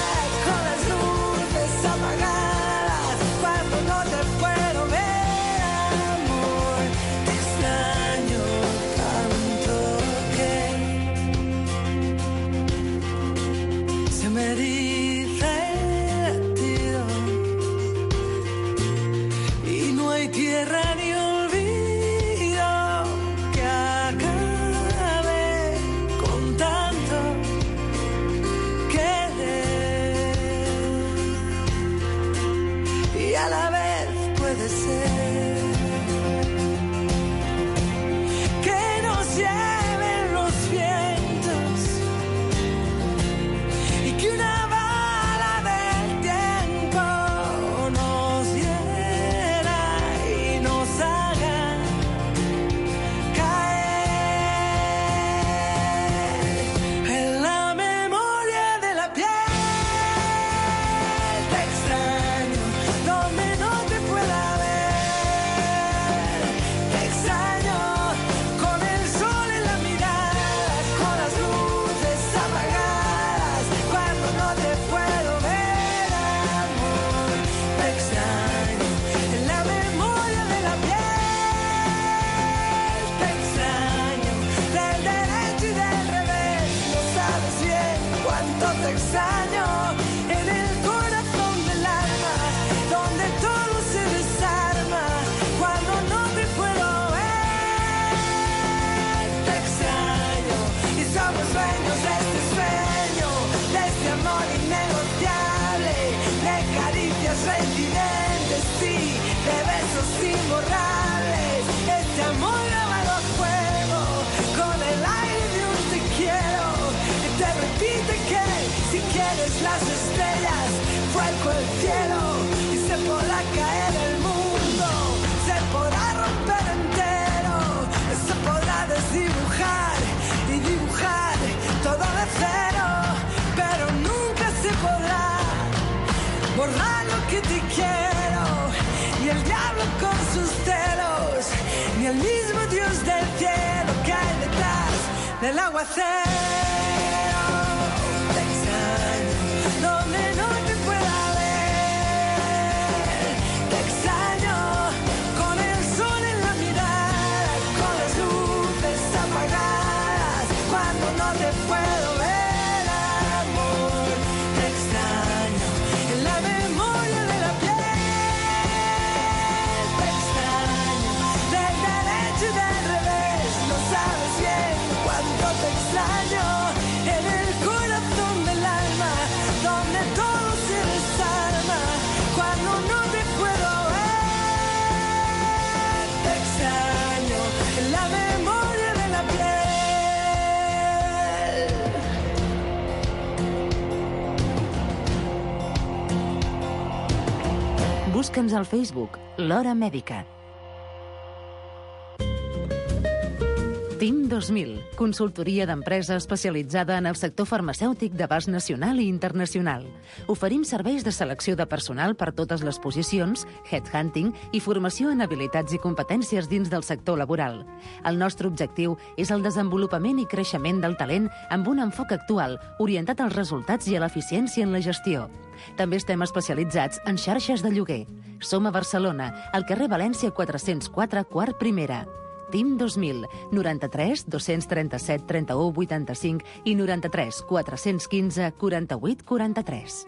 con las luces apagadas, cuando no te puedo ver, amor. Te extraño tanto que se me eriza el latido y no hay tierra ni olvido que acabe con tanto querer, y a la vez puede ser que nos lleven los vientos y que una bala del tiempo nos hiera y nos haga caer en la memoria de la piel. Te extraño donde no te pueda ver. Te extraño con el sol en la mirada, con las luces apagadas, cuando no te puedo ver, amor. Te extraño en la memoria de la piel. Te extraño del derecho y del revés. No sabes bien cuánto te extraño en el corazón del alma, donde todo se desarma cuando no te puedo ver. Te extraño y somos dueños de este sueño, de este amor innegociable, de caricias reincidentes, sí, de besos imborrables. Este amor grabado a fuego con el aire de un te quiero, que te repite que si quieres las estrellas fuego el cielo, y se podrá caer el mundo, se podrá romper entero, se podrá desdibujar y dibujar todo de cero, pero nunca se podrá borrar lo que te quiero, ni el diablo con sus celos, ni el mismo Dios del cielo que hay detrás del aguacero. Te extraño donde no te pueda ver. Te extraño con el sol en la mirada, con las luces apagadas, cuando no te puedo ver, amor. Te extraño en la memoria de la piel. Te extraño del derecho y del revés. No sabes bien cuánto te extraño Busca'ns al Facebook, L'Hora Mèdica. TIM dos mil, consultoria d'empresa especialitzada en el sector farmacèutic d'abast nacional i internacional. Oferim serveis de selecció de personal per totes les posicions, headhunting i formació en habilitats i competències dins del sector laboral. El nostre objectiu és el desenvolupament i creixement del talent amb un enfoc actual, orientat als resultats i a l'eficiència en la gestió. També estem especialitzats en xarxes de lloguer. Som a Barcelona, al carrer València quatre-cents quatre, quart primera. TIM dos mil, noranta-tres dos-cents trenta-set trenta-u vuitanta-cinc i noranta-tres quatre-cents quinze quaranta-vuit quaranta-tres.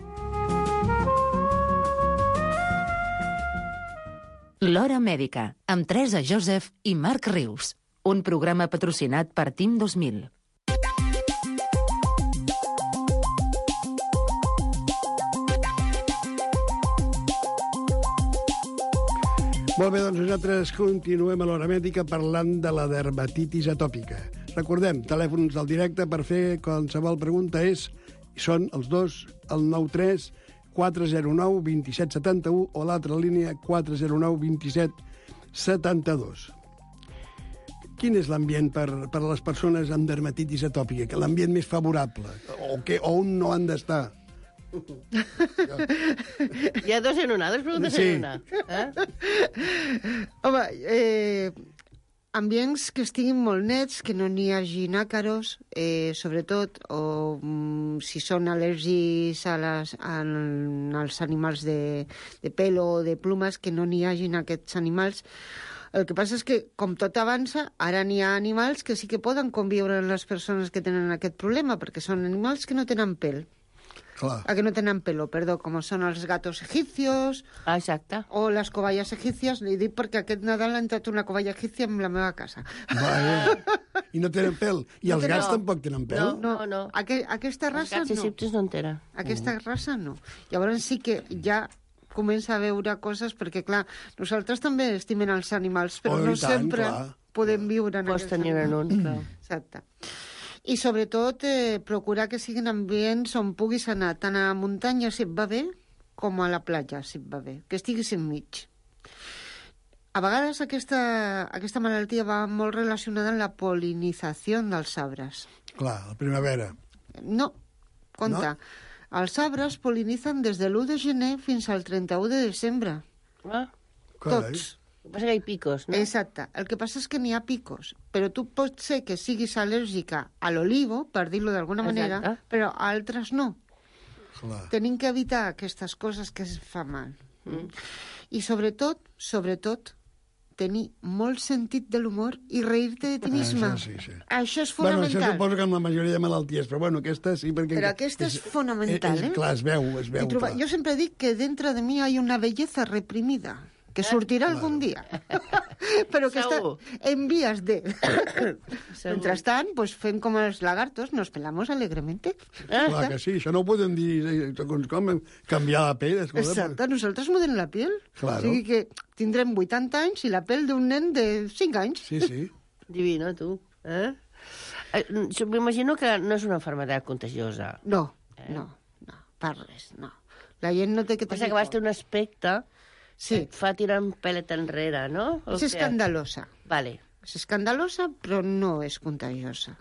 L'Hora Mèdica, amb Teresa Joseph i Marc Rius. Un programa patrocinat per TIM dos mil. Molt bé, doncs nosaltres continuem a l'Hora Mèdica parlant de la dermatitis atòpica. Recordem, telèfons del directe per fer qualsevol pregunta és, són els dos, el nou tres quatre zero nou dos set set u o l'altra línia quatre zero nou dos set set dos. Quin és l'ambient per, per a les persones amb dermatitis atòpica? Que l'ambient més favorable? O, que, o on no han d'estar? Hi ha dos en una, dos preguntes Sí. en una. Eh? Home, eh, ambients que estiguin molt nets, que no n'hi hagi àcaros, eh, sobretot, o mm, si són al·lèrgics a les, a, als animals de, de pelo o de plumes, que no n'hi hagin aquests animals. El que passa és que, com tot avança, ara n'hi ha animals que sí que poden conviure amb les persones que tenen aquest problema, perquè són animals que no tenen pèl. Clar. A que no tenen pelo, perdó, com són els gatos egipcios Ah, exacte. o les cobayes egípcies. Li dic perquè aquest Nadal ha entrat una cobaya egípcia en la meva casa. Vaja. I no tenen pèl. I No els tenen- gats tampoc tenen pèl? No, no. Aqu aquesta Els raça gats no. egipcis no en tenen. Aquesta raça no. Llavors sí que ja comença a veure coses, perquè, clar, nosaltres també estimem els animals, però Oh, i no tant, sempre clar. podem viure en Pots aquests tenir en un, clar. Exacte. I sobretot eh, procurar que siguin ambients on puguis anar tant a la muntanya si et va bé com a la platja si et va bé, que estiguis enmig. A vegades aquesta, aquesta malaltia va molt relacionada amb la polinització dels arbres. Clar, la primavera. No, compte. No? Els arbres polinitzen des de l'u de gener fins al trenta-u de desembre. Ah, Carai. Tots. el que passa que hi ha picos, no? Exacte. El que passa és que n'hi ha picos, però tu pot ser que siguis al·lèrgica a l'olivo, per dir-lo d'alguna manera, Exacte. però a altres no. Clar. Tenim que evitar aquestes coses que es fa mal. Mm. I sobretot, sobretot, tenir molt sentit de l'humor i reir-te de ti misma. Això sí, sí. Això és Bueno, això fonamental. suposo que amb la majoria de malalties, però bueno, aquesta sí, perquè... Però aquesta és fonamental, és, eh? Clar, es veu, es veu, I trobar... clar. Jo sempre dic que dentro de mi hay una belleza reprimida, que sortirà Claro. algun dia, però que està Segur. en vías de... Segur. Mentrestant, pues fem com els lagartos, nos pelamos alegremente. Clar que sí, això no ho podem dir eh, segons com, canviar la pell. Escolta, Exacte, nosaltres mudem la pell. Claro. O sigui que tindrem vuitanta anys i la pell d'un nen de cinc anys. Sí, sí. Divino, tu. Eh? Eh, M'imagino que no és una malaltia contagiosa. No, no, no, per res, no. La gent no té que Passa tenir que vas té un aspecte Sí, que et fa tirar un pelet enrere, no? O és què? escandalosa. Vale. És escandalosa, però no és contagiosa.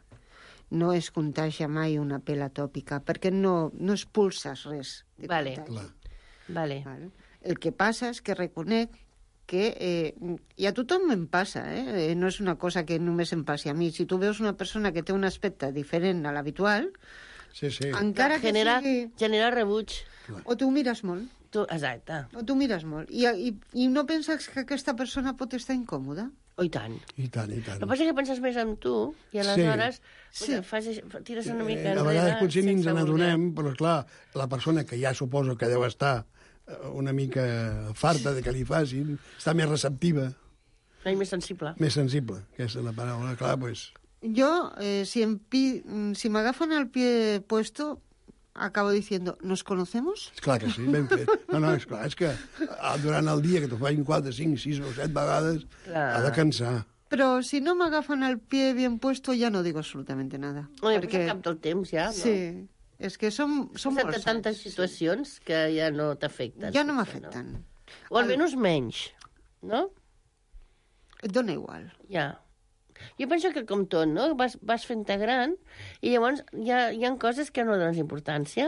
No es contagia mai una pell atòpica, perquè no, no expulses res. de Vale. contagi. Clar. Vale. Vale. El que passa és que reconec que, eh, i a tothom em passa, eh? no és una cosa que només em passi a mi. Si tu veus una persona que té un aspecte diferent a l'habitual, Sí, sí. encara que genera, sigui... genera rebuig. O tu mires molt, Tu, exacte. o tu mires molt, i, i, i no penses que aquesta persona pot estar incòmoda. Oh, i tant. I tant, i tant. El que passa és que penses més en tu i aleshores Sí. sí. fas, tires una mica Eh, a enrere. vegades potser ni ens sense n'adonem, però clar, la persona que ja suposo que deu estar eh, una mica farta de que li facin, està més receptiva, voler. No, i més sensible. més sensible, aquesta és la paraula, clar, doncs... Yo, eh, si, en pi, si me agafan al pie puesto, acabo diciendo, ¿nos conocemos? És clar que sí, ben fet. No, no, és clar, és que ah, durant el dia que t'ho facin quatre, cinc, sis o set vegades, Clar. ha de cansar. Pero si no me agafan al pie bien puesto, ya no digo absolutamente nada. No, i Perquè- perquè... cap del temps ja, no? Sí, és que som, som Són molt tantes sants. situacions que ja no t'afecten. Ja no potser, m'afecten. O almenys menys, no? Et dona igual. Ja. Jo penso que com tot, no? Vas, vas fent-te gran i llavors hi ha, hi ha coses que no dones importància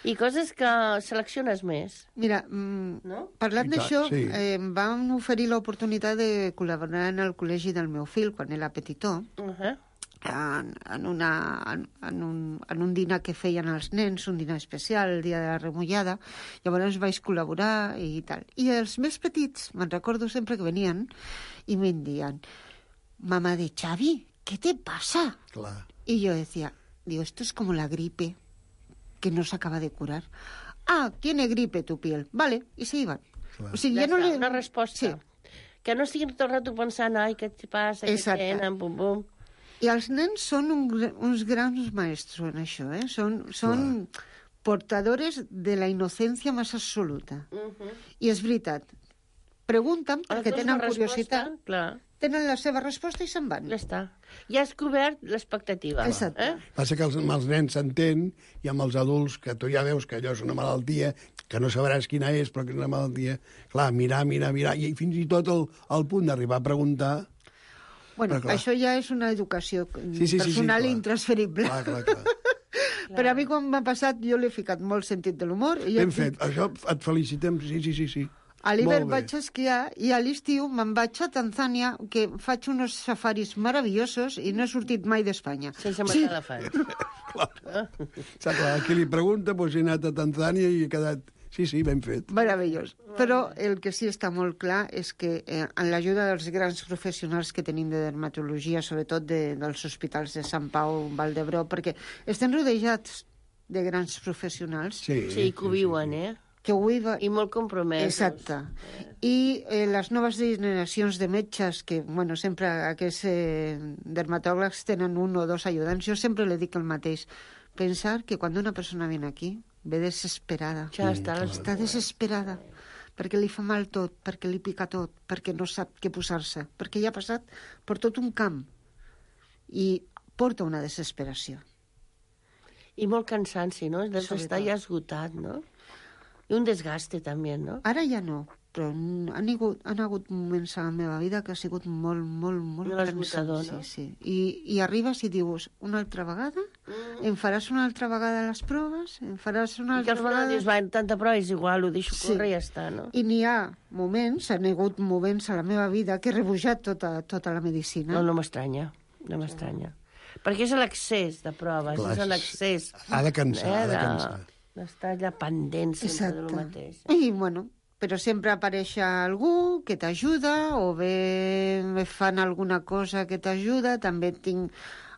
i coses que selecciones més. Mira, mm, No? parlant I tant, d'això, sí. eh, em van oferir l'oportunitat de col·laborar en el col·legi del meu fill, quan era petitó, Uh -huh. en, en, una, en, en, un, en un dinar que feien els nens, un dinar especial, el dia de la remullada. Llavors vaig col·laborar i tal. I els més petits, me'n recordo sempre que venien i me'n diuen: mamá de Xavi, ¿qué te pasa? Clar. Y yo decía, digo, esto es como la gripe, que no se acaba de curar. Ah, tiene gripe tu piel. Vale, y se iban. Clar. O sigui, Ja ja no està, li... una resposta. Sí. Que no estiguin tot el rato pensant, ai, què et passa, què Exacte. tenen, pum, pum. I els nens són un, gra- uns grans maestros en això, eh? Són, són portadores de la innocència més absoluta. Uh -huh. I és veritat. Pregunten Els perquè dos tenen la resposta, curiositat, Clar, tenen la seva resposta i se'n van. ja està. Ja has cobert l'expectativa. Exacte. Eh? Passa que els, amb els nens s'entén i amb els adults, que tu ja veus que allò és una malaltia, que no sabràs quina és, però que és una malaltia. Clar, mirar, mirar, mirar, i fins i tot el, el punt d'arribar a preguntar... Bueno, Però, clar. això ja és una educació Sí, sí, sí, sí, personal clar. i intransferible. Clar, clar, clar. Però a mi quan m'ha passat jo l'he ficat molt sentit de l'humor. i jo Ben et fet, dic, això et felicitem, sí, sí, sí, sí. a l'hivern Molt bé. vaig esquiar i a l'estiu me'n vaig a Tanzània, que faig uns safaris meravellosos i no he sortit mai d'Espanya. Sense matar elefants. Està clar, qui li pregunta, doncs he anat a Tanzània i he quedat... Sí, sí, ben fet. Meravellós. Però el que sí està molt clar és que eh, en l'ajuda dels grans professionals que tenim de dermatologia, sobretot de, dels hospitals de Sant Pau, Vall d'Hebron, perquè estem rodejats de grans professionals Sí, Sí, que ho viuen, eh? que ho viuen... I molt compromesos. Exacte. I eh, les noves generacions de metges, que, bueno, sempre aquests eh, dermatòlegs tenen un o dos ajudants, jo sempre li dic el mateix. Pensar que quan una persona viene aquí, ve desesperada. Ja està. Mm, Està desesperada, perquè li fa mal tot, perquè li pica tot, perquè no sap què posar-se, perquè ja ha passat per tot un camp i porta una desesperació. I molt cansanci, no? Has d'estar ja esgotat, no? I un desgaste, també, no? Ara ja no, però han hagut, han hagut moments a la meva vida que ha sigut molt, molt, molt Molt esgotador, cansant. no? Sí, sí. I, I arribes i dius, una altra vegada? Mm. Em faràs una altra vegada les proves? Em faràs una I que altra al final vegada... dius, va, tanta prova és igual, ho deixo Sí. córrer i ja està, no? I n'hi ha moments, han hagut moments a la meva vida que he rebutjat tota, tota la medicina. No, no m'estranya, no m'estranya. Perquè és l'accés de proves, Clar, és l'accés. ha de cansar, ha de de- cansar. D'estar allà pendent sempre del Exacte. mateix. I, bueno, però sempre apareix algú que t'ajuda o bé me fan alguna cosa que t'ajuda. També tinc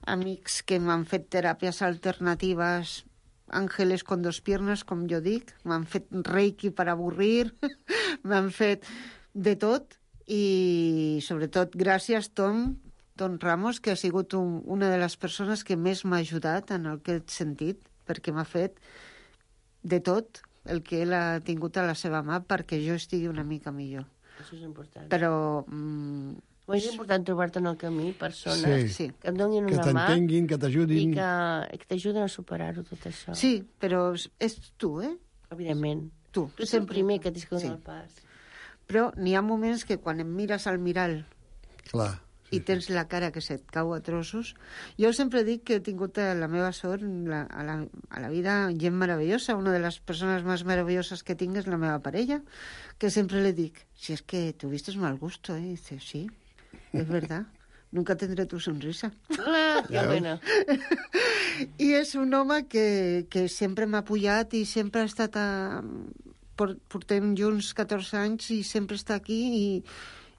amics que m'han fet teràpies alternatives, ángeles con dos piernas, com jo dic. M'han fet reiki per avorrir, m'han fet de tot. I, sobretot, gràcies, Tom, Tom Ramos, que ha sigut un, una de les persones que més m'ha ajudat en aquest sentit, perquè m'ha fet de tot el que ell ha tingut a la seva mà perquè jo estigui una mica millor. Això és important. Però... Mm, Però és important trobar-te en el camí persones Sí. sí, que et donin Que una mà t'entenguin, que i t'ajudin. que, que t'ajuden a superar-ho, tot això. sí, però és, és tu, eh? Evidentment. Tu. Tu ets el primer que tens que donar Sí. el pas. Però n'hi ha moments que quan em mires al mirall Clar. i tens la cara que se't cau a trossos. Jo sempre dic que he tingut a la meva sort la, a, la, a la vida gent meravellosa. Una de les persones més meravelloses que tinc és la meva parella, que sempre le dic, si es que tuviste mal gusto, ¿eh? Y dice, sí, es verdad. Nunca tendré tu sonrisa. Ah, que bueno. I és un home que, que sempre m'ha pujat i sempre ha estat a... por- Portem junts catorze anys i sempre està aquí i,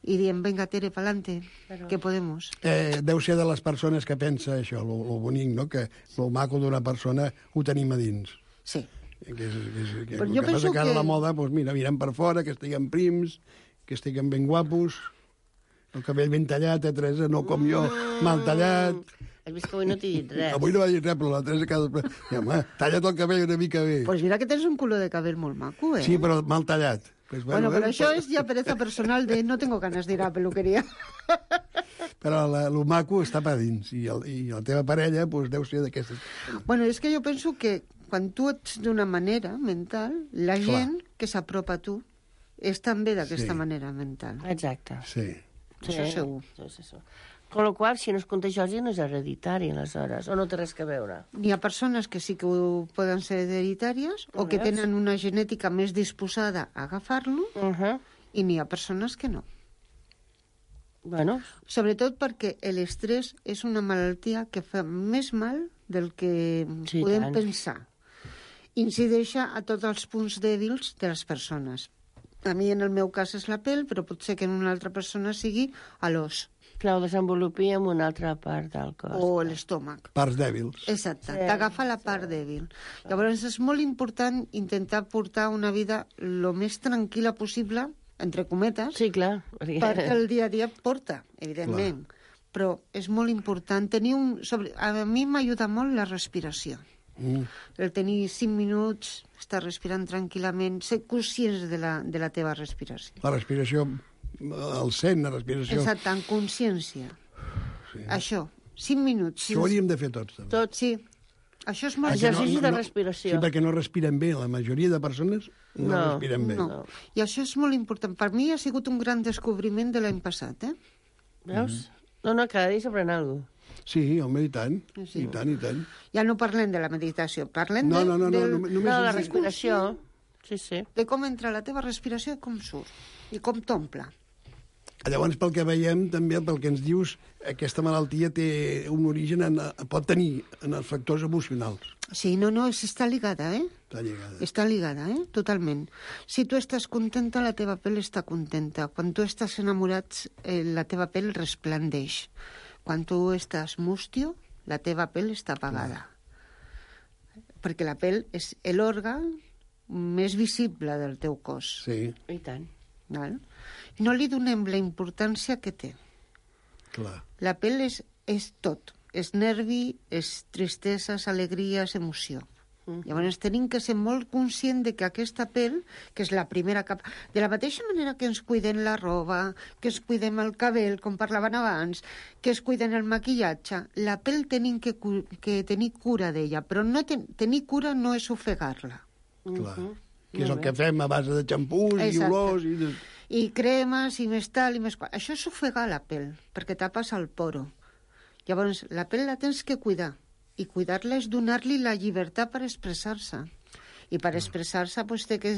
i diem, venga, Tere, pa'lante, Però- que podemos. Eh, deu ser de les persones que pensa això, lo, lo bonic, no? Que lo maco d'una persona ho tenim a dins. Sí. Que, és, que, és, que, Però el jo que passa penso que ara que- la moda, doncs mira, mirem per fora, que estiguem prims, que estiguem ben guapos, el cabell ben tallat, eh, Teresa, no com jo, mal tallat. Has vist que avui no t'he dit res. Avui no va dir res, però la Teresa cada... I, home, talla't el cabell una mica bé. Pues mira que tens un color de cabell molt maco, eh? Sí, però mal tallat. Pues, Bueno, però eh, això és ja pereza personal de no tengo ganas de ir a la peluquería. Però la, lo maco està per dins, i, el, i la teva parella pues, deu ser d'aquestes... Bueno, és que jo penso que quan tu ets d'una manera mental, la Clar. gent que s'apropa a tu és també d'aquesta Sí. manera mental. Exacte. Sí. Això segur. Sí, sí, sí. Con la qual, si no és contagiosi, no és hereditari, aleshores, o no té res a veure. N'hi ha persones que sí que ho poden ser hereditàries o que Veus? tenen una genètica més disposada a agafar-lo Uh -huh. i n'hi ha persones que no. Bueno, Sobretot perquè l'estrès és una malaltia que fa més mal del que Sí, podem tant. pensar. Incideix a tots els punts dèbils de les persones. A mi, en el meu cas, és la pell, però pot ser que en una altra persona sigui a l'os clar, ho desenvolupi en una altra part del cos. o l'estómac. Parts dèbils. Exacte, Sí, t'agafa la part dèbil. Llavors és molt important intentar portar una vida el més tranquil·la possible, entre cometes, Sí, clar. Perquè... perquè el dia a dia porta, evidentment. Però és molt important tenir un... Sobre... A mi m'ajuda molt la respiració. Mm. El tenir cinc minuts, estar respirant tranquil·lament, ser conscients de la, de la teva respiració. La respiració, el sent, la respiració... Exacte, en consciència. Sí. Això, cinc minuts. Això ho hauríem de fer tots, també. Tot, Sí, això és molt... Això- Exercicis de respiració. Sí, perquè no respiren bé. La majoria de persones no, No, respiren bé. No. I això és molt important. Per mi ha sigut un gran descobriment de l'any passat, eh? Veus? No, no, cada dia s'aprèn alguna cosa. Sí, home, i tant. Sí. I tant, i tant. Ja no parlem de la meditació, parlem No, de, no, no, no, del- només... No, la és- respiració. Sí, sí. de com entra la teva respiració i com surt. I com t'omple. Llavors, pel que veiem, també, pel que ens dius, aquesta malaltia té un origen, en, pot tenir en els factors emocionals. Sí, no, no, és, està ligada, eh? Està lligada. Està ligada, eh? Totalment. Si tu estàs contenta, la teva pell està contenta. Quan tu estàs enamorat, eh, la teva pell resplandeix. Quan tu estàs mustio, la teva pell està apagada. Perquè la pell és l'òrgan més visible del teu cos. Sí, I tant. Val? No li donem la importància que té. clar. La pell és, és tot. És nervi, és tristeses, alegries, emoció. Mm. Llavors tenim que ser molt conscient de que aquesta pell, que és la primera capa... De la mateixa manera que ens cuiden la roba, que ens cuidem el cabell, com parlaven abans, que es cuiden el maquillatge, la pell tenim que, cu que tenir cura d'ella, però no ten tenir cura no és ofegar-la. clar. Mhm. Que és el Molt que bé. fem a base de xampús i Exacte. olors i... De... I cremes, i més tal, i més qual. Això és ofegar la pell, perquè tapes el poro. Llavors, la pell la tens que cuidar. I cuidar-la és donar-li la llibertat per expressar-se. I per expressar-se pues, té que,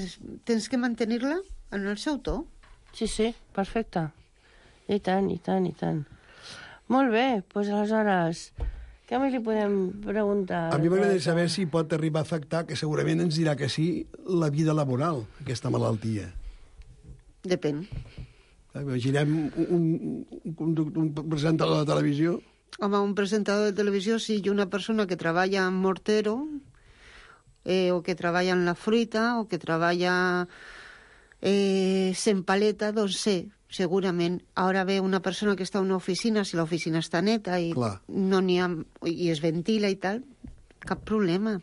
tens que mantenir-la en el seu to. Sí, sí, perfecte. I tant, i tant, i tant. Molt bé, doncs aleshores, què més li podem preguntar? A mi m'agradaria saber si pot arribar a afectar, que segurament ens dirà que sí, la vida laboral, aquesta malaltia. Depèn. Imaginem un, un, un, conductor, un presentador de televisió. Home, un presentador de televisió, si sí, una persona que treballa en mortero, eh, o que treballa en la fruita, o que treballa eh, sent paleta, doncs sí, segurament. Ara ve una persona que està a una oficina, si l'oficina està neta i Clar. no n'hi ha, i es ventila i tal, cap problema.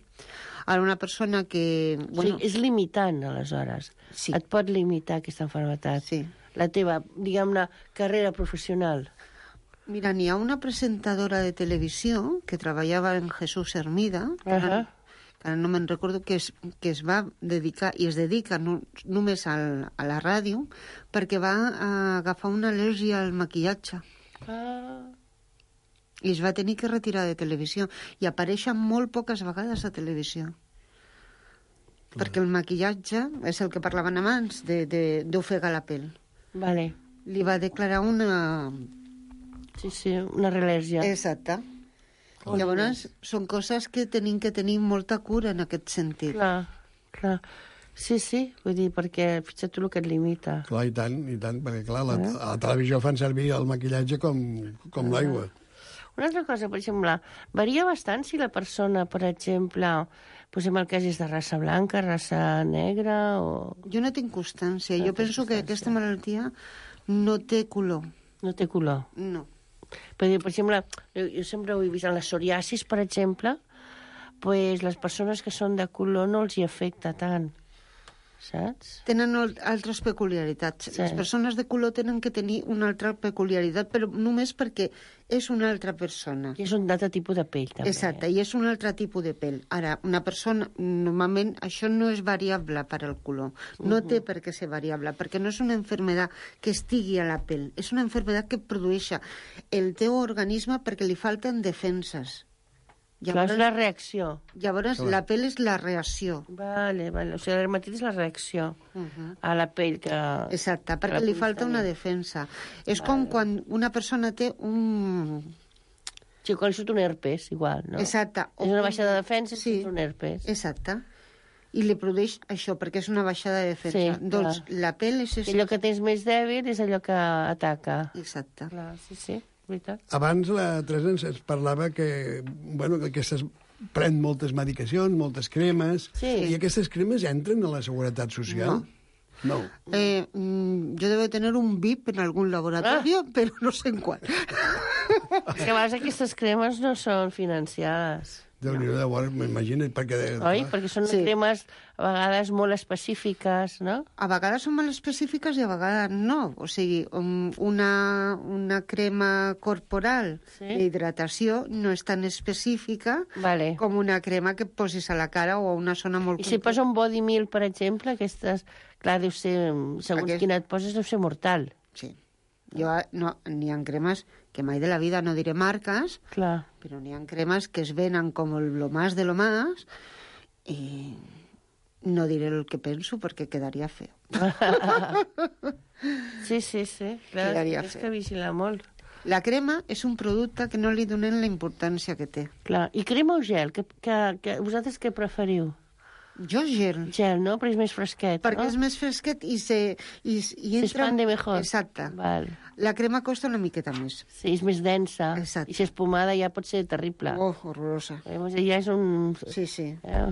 Ara una persona que... Bueno, sí, és limitant, aleshores. Sí. Et pot limitar aquesta malaltia. Sí. La teva, diguem-ne, carrera professional. Mira, n'hi ha una presentadora de televisió que treballava en Jesús Hermida, que ara, Ahà. que ara no me'n recordo, que es, que es va dedicar, i es dedica no, només al, a la ràdio, perquè va eh, agafar una al·lèrgia al maquillatge. Ah. I es va tenir que retirar de televisió. I apareixen molt poques vegades a televisió. Clar. Perquè el maquillatge és el que parlaven abans, d'ofegar la pell. Vale. Li va declarar una... Sí, sí, una al·lèrgia. Exacte. Llavors, són coses que tenim que tenir molta cura en aquest sentit. Clar, clar. Sí, sí, vull dir, perquè fixa't tu el que et limita. Clar, i tant, i tant, perquè clar, la, a la televisió fan servir el maquillatge com, com l'aigua. Una altra cosa, per exemple, varia bastant si la persona, per exemple, posem el cas és de raça blanca, raça negra o... Jo no tinc constància. No jo tens penso que constància. aquesta malaltia no té color. No té color. No. Per, per exemple, jo, jo sempre ho he vist en la psoriasis, per exemple, pues les persones que són de color no els hi afecta tant. saps? Tenen altres peculiaritats. Sí. Les persones de color tenen que tenir una altra peculiaritat, però només perquè és una altra persona. I és un altre tipus de pell, també. Exacte, i és un altre tipus de pell. Ara, una persona, normalment, això no és variable per al color. No té per què ser variable, perquè no és una enfermedad que estigui a la pell. És una enfermedad que produeix el teu organisme perquè li falten defenses. Llavors, és la reacció. Llavors, la pell és la reacció. Vale, vale. O sigui, la dermatitis és la reacció Uh -huh. a la pell que... Exacte, perquè la li puguis falta una tenir. defensa. És com quan una persona té un... Sí, quan surt un herpes, igual, no? Exacte. És una baixada de defensa i Sí. surt un herpes. Exacte. I li produeix això, perquè és una baixada de defensa. Sí, doncs clar. la pell és... I allò que tens més dèbil és allò que ataca. Exacte. Clar, sí, sí, veritat. Abans la Teresa ens ens parlava que, bueno, que aquestes pren moltes medicacions, moltes cremes, Sí. i aquestes cremes entren a la Seguretat Social? No. Eh, mm, yo debo tener un V I P en algún laboratorio, Ah. pero no sé en cuál. És que a vegades aquestes cremes no són financiades. Déu-n'hi-do, llavors, m'imagino, perquè... Oi? Perquè són Sí. cremes a vegades molt específiques, no? A vegades són molt específiques i a vegades no. O sigui, um, una, una crema corporal Sí. d'hidratació no és tan específica Vale. com una crema que et posis a la cara o a una zona molt I si posa un body meal, per exemple, aquestes... Clar, deu ser... Segons Aquest- quina et poses, deu ser mortal. Sí. Jo, no, n'hi ha cremes que mai de la vida no diré marques, Clar. pero n'hi ha cremes que es venen com el lo más de lo más y no diré el que penso perquè quedaria feo. Sí, sí, sí. Clar, Quedaria és feo. que vigila molt. La crema és un producte que no li donen la importància que té. Clar. I crema o gel? Que, que, que, vosaltres què preferiu? Jo gel, Gel, no? Però és més fresquet, perquè no? és més fresquet i se, i, i Se entra... expande mejor. Exacte. Val. La crema costa una miqueta més. Sí, és més densa. Exacte. I si és pomada ja pot ser terrible. Oh, horrorosa. Eh, Ja és un... Sí, sí. Eh?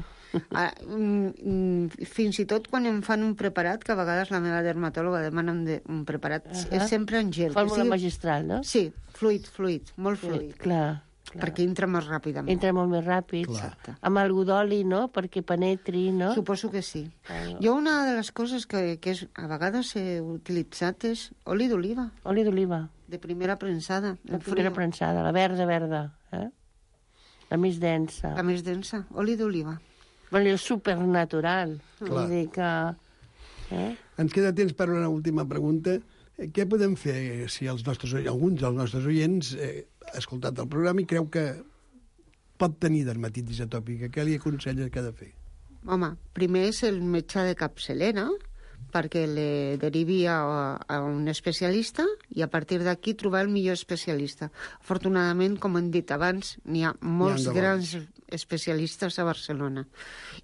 Ah, mm, mm, fins i tot quan em fan un preparat, que a vegades la meva dermatòloga demana un, de, un preparat, uh -huh. és sempre en gel. que Fórmula sigui- magistral, no? Sí, fluid, fluid, molt Sí, fluid, clar. clar. perquè entra més ràpidament. Entra molt més ràpid. Exacte. Amb algú d'oli, no? Perquè penetri, no? Suposo que sí. Claro. Jo una de les coses que, que és, a vegades he utilitzat és oli d'oliva, Oli d'oliva. de primera prensada. La en primera frío. prensada, la verda, verda. Eh? La més densa. La més densa, oli d'oliva. Bueno, és supernatural. Clar. Vull dir que... Eh? Ens queda temps per una última pregunta. Eh, Què podem fer si els nostres, alguns dels nostres oients eh, ha escoltat el programa i creu que pot tenir dermatitis atòpica? Què li aconselles que ha de fer? Home, primer és el metge de capçalera, perquè le derivi a, a un especialista i a partir d'aquí trobar el millor especialista. Afortunadament, com hem dit abans, n'hi ha molts de bons. grans especialistes a Barcelona.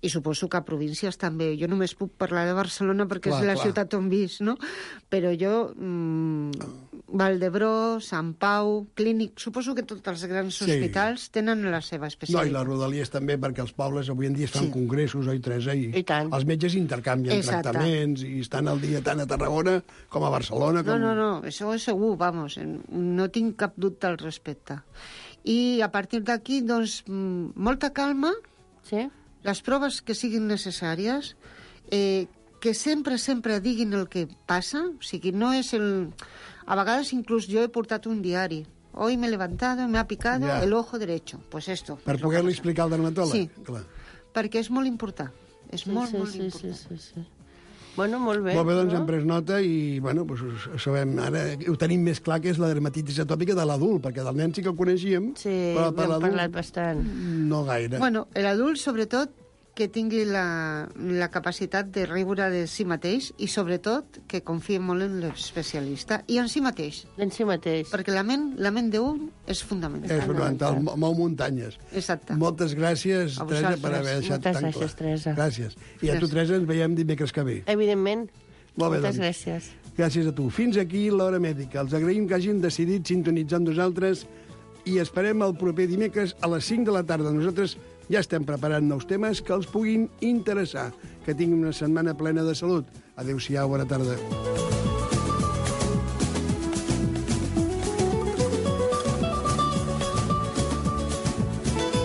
I suposo que a províncies també. Jo només puc parlar de Barcelona perquè Clar, és la clar. ciutat on visc, no? Però jo, mmm, Valdebró, Sant Pau, Clínic... Suposo que tots els grans Sí. hospitals tenen la seva No, i especialitat. les rodalies també, perquè els pobles avui en dia es fan Sí. congressos, oi, Teresa? I, I tant. els metges intercanvien Exacte. tractaments i estan al dia tant a Tarragona com a Barcelona. No, Com... no, no, això és segur, vamos, en- no tinc cap dubte al respecte. I a partir d'aquí, doncs, mm, molta calma, Sí? les proves que siguin necessàries, eh, que sempre, sempre diguin el que passa, o sigui, no és el... A vegades inclús jo he portat un diari. Hoy me he levantado, me ha picado Ja. el ojo derecho. Pues esto. Per és lo poder-li que passa. explicar al dermatòleg? Sí. Clar. Perquè és molt important. És Sí, molt, sí, molt sí, important. sí, sí, sí. Bueno, molt bé. Molt bé, doncs no? hem pres nota i, bueno, doncs, ho sabem, ara ho tenim més clar que és la dermatitis atòpica de l'adult, perquè del nen sí que el coneixíem, Sí, però per n'hem l'adult parlat bastant. no gaire. Bueno, l'adult, sobretot, que tingui la, la capacitat de riure de si mateix i, sobretot, que confie molt en l'especialista i en si mateix. En si mateix. Perquè la ment, la ment d'un és fundamental. és fonamental, mo- mou muntanyes. Exacte. Moltes gràcies, A Teresa, vosaltres. per haver deixat Moltes tan gràcies, clar. Teresa. Gràcies. I a tu, Gràcies. Teresa, ens veiem dimecres que ve. Evidentment. Molt bé, Moltes doncs. gràcies. Gràcies a tu. Fins aquí l'Hora Mèdica. Els agraïm que hagin decidit sintonitzar amb nosaltres i esperem el proper dimecres a les cinc de la tarda. Nosaltres ja estem preparant nous temes que els puguin interessar. Que tinguin una setmana plena de salut. Adéu-siau, bona tarda.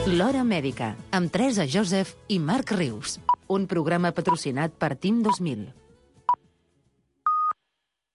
L'Hora Mèdica, amb Teresa Joseph i Marc Rius. un programa patrocinat per Team dos mil.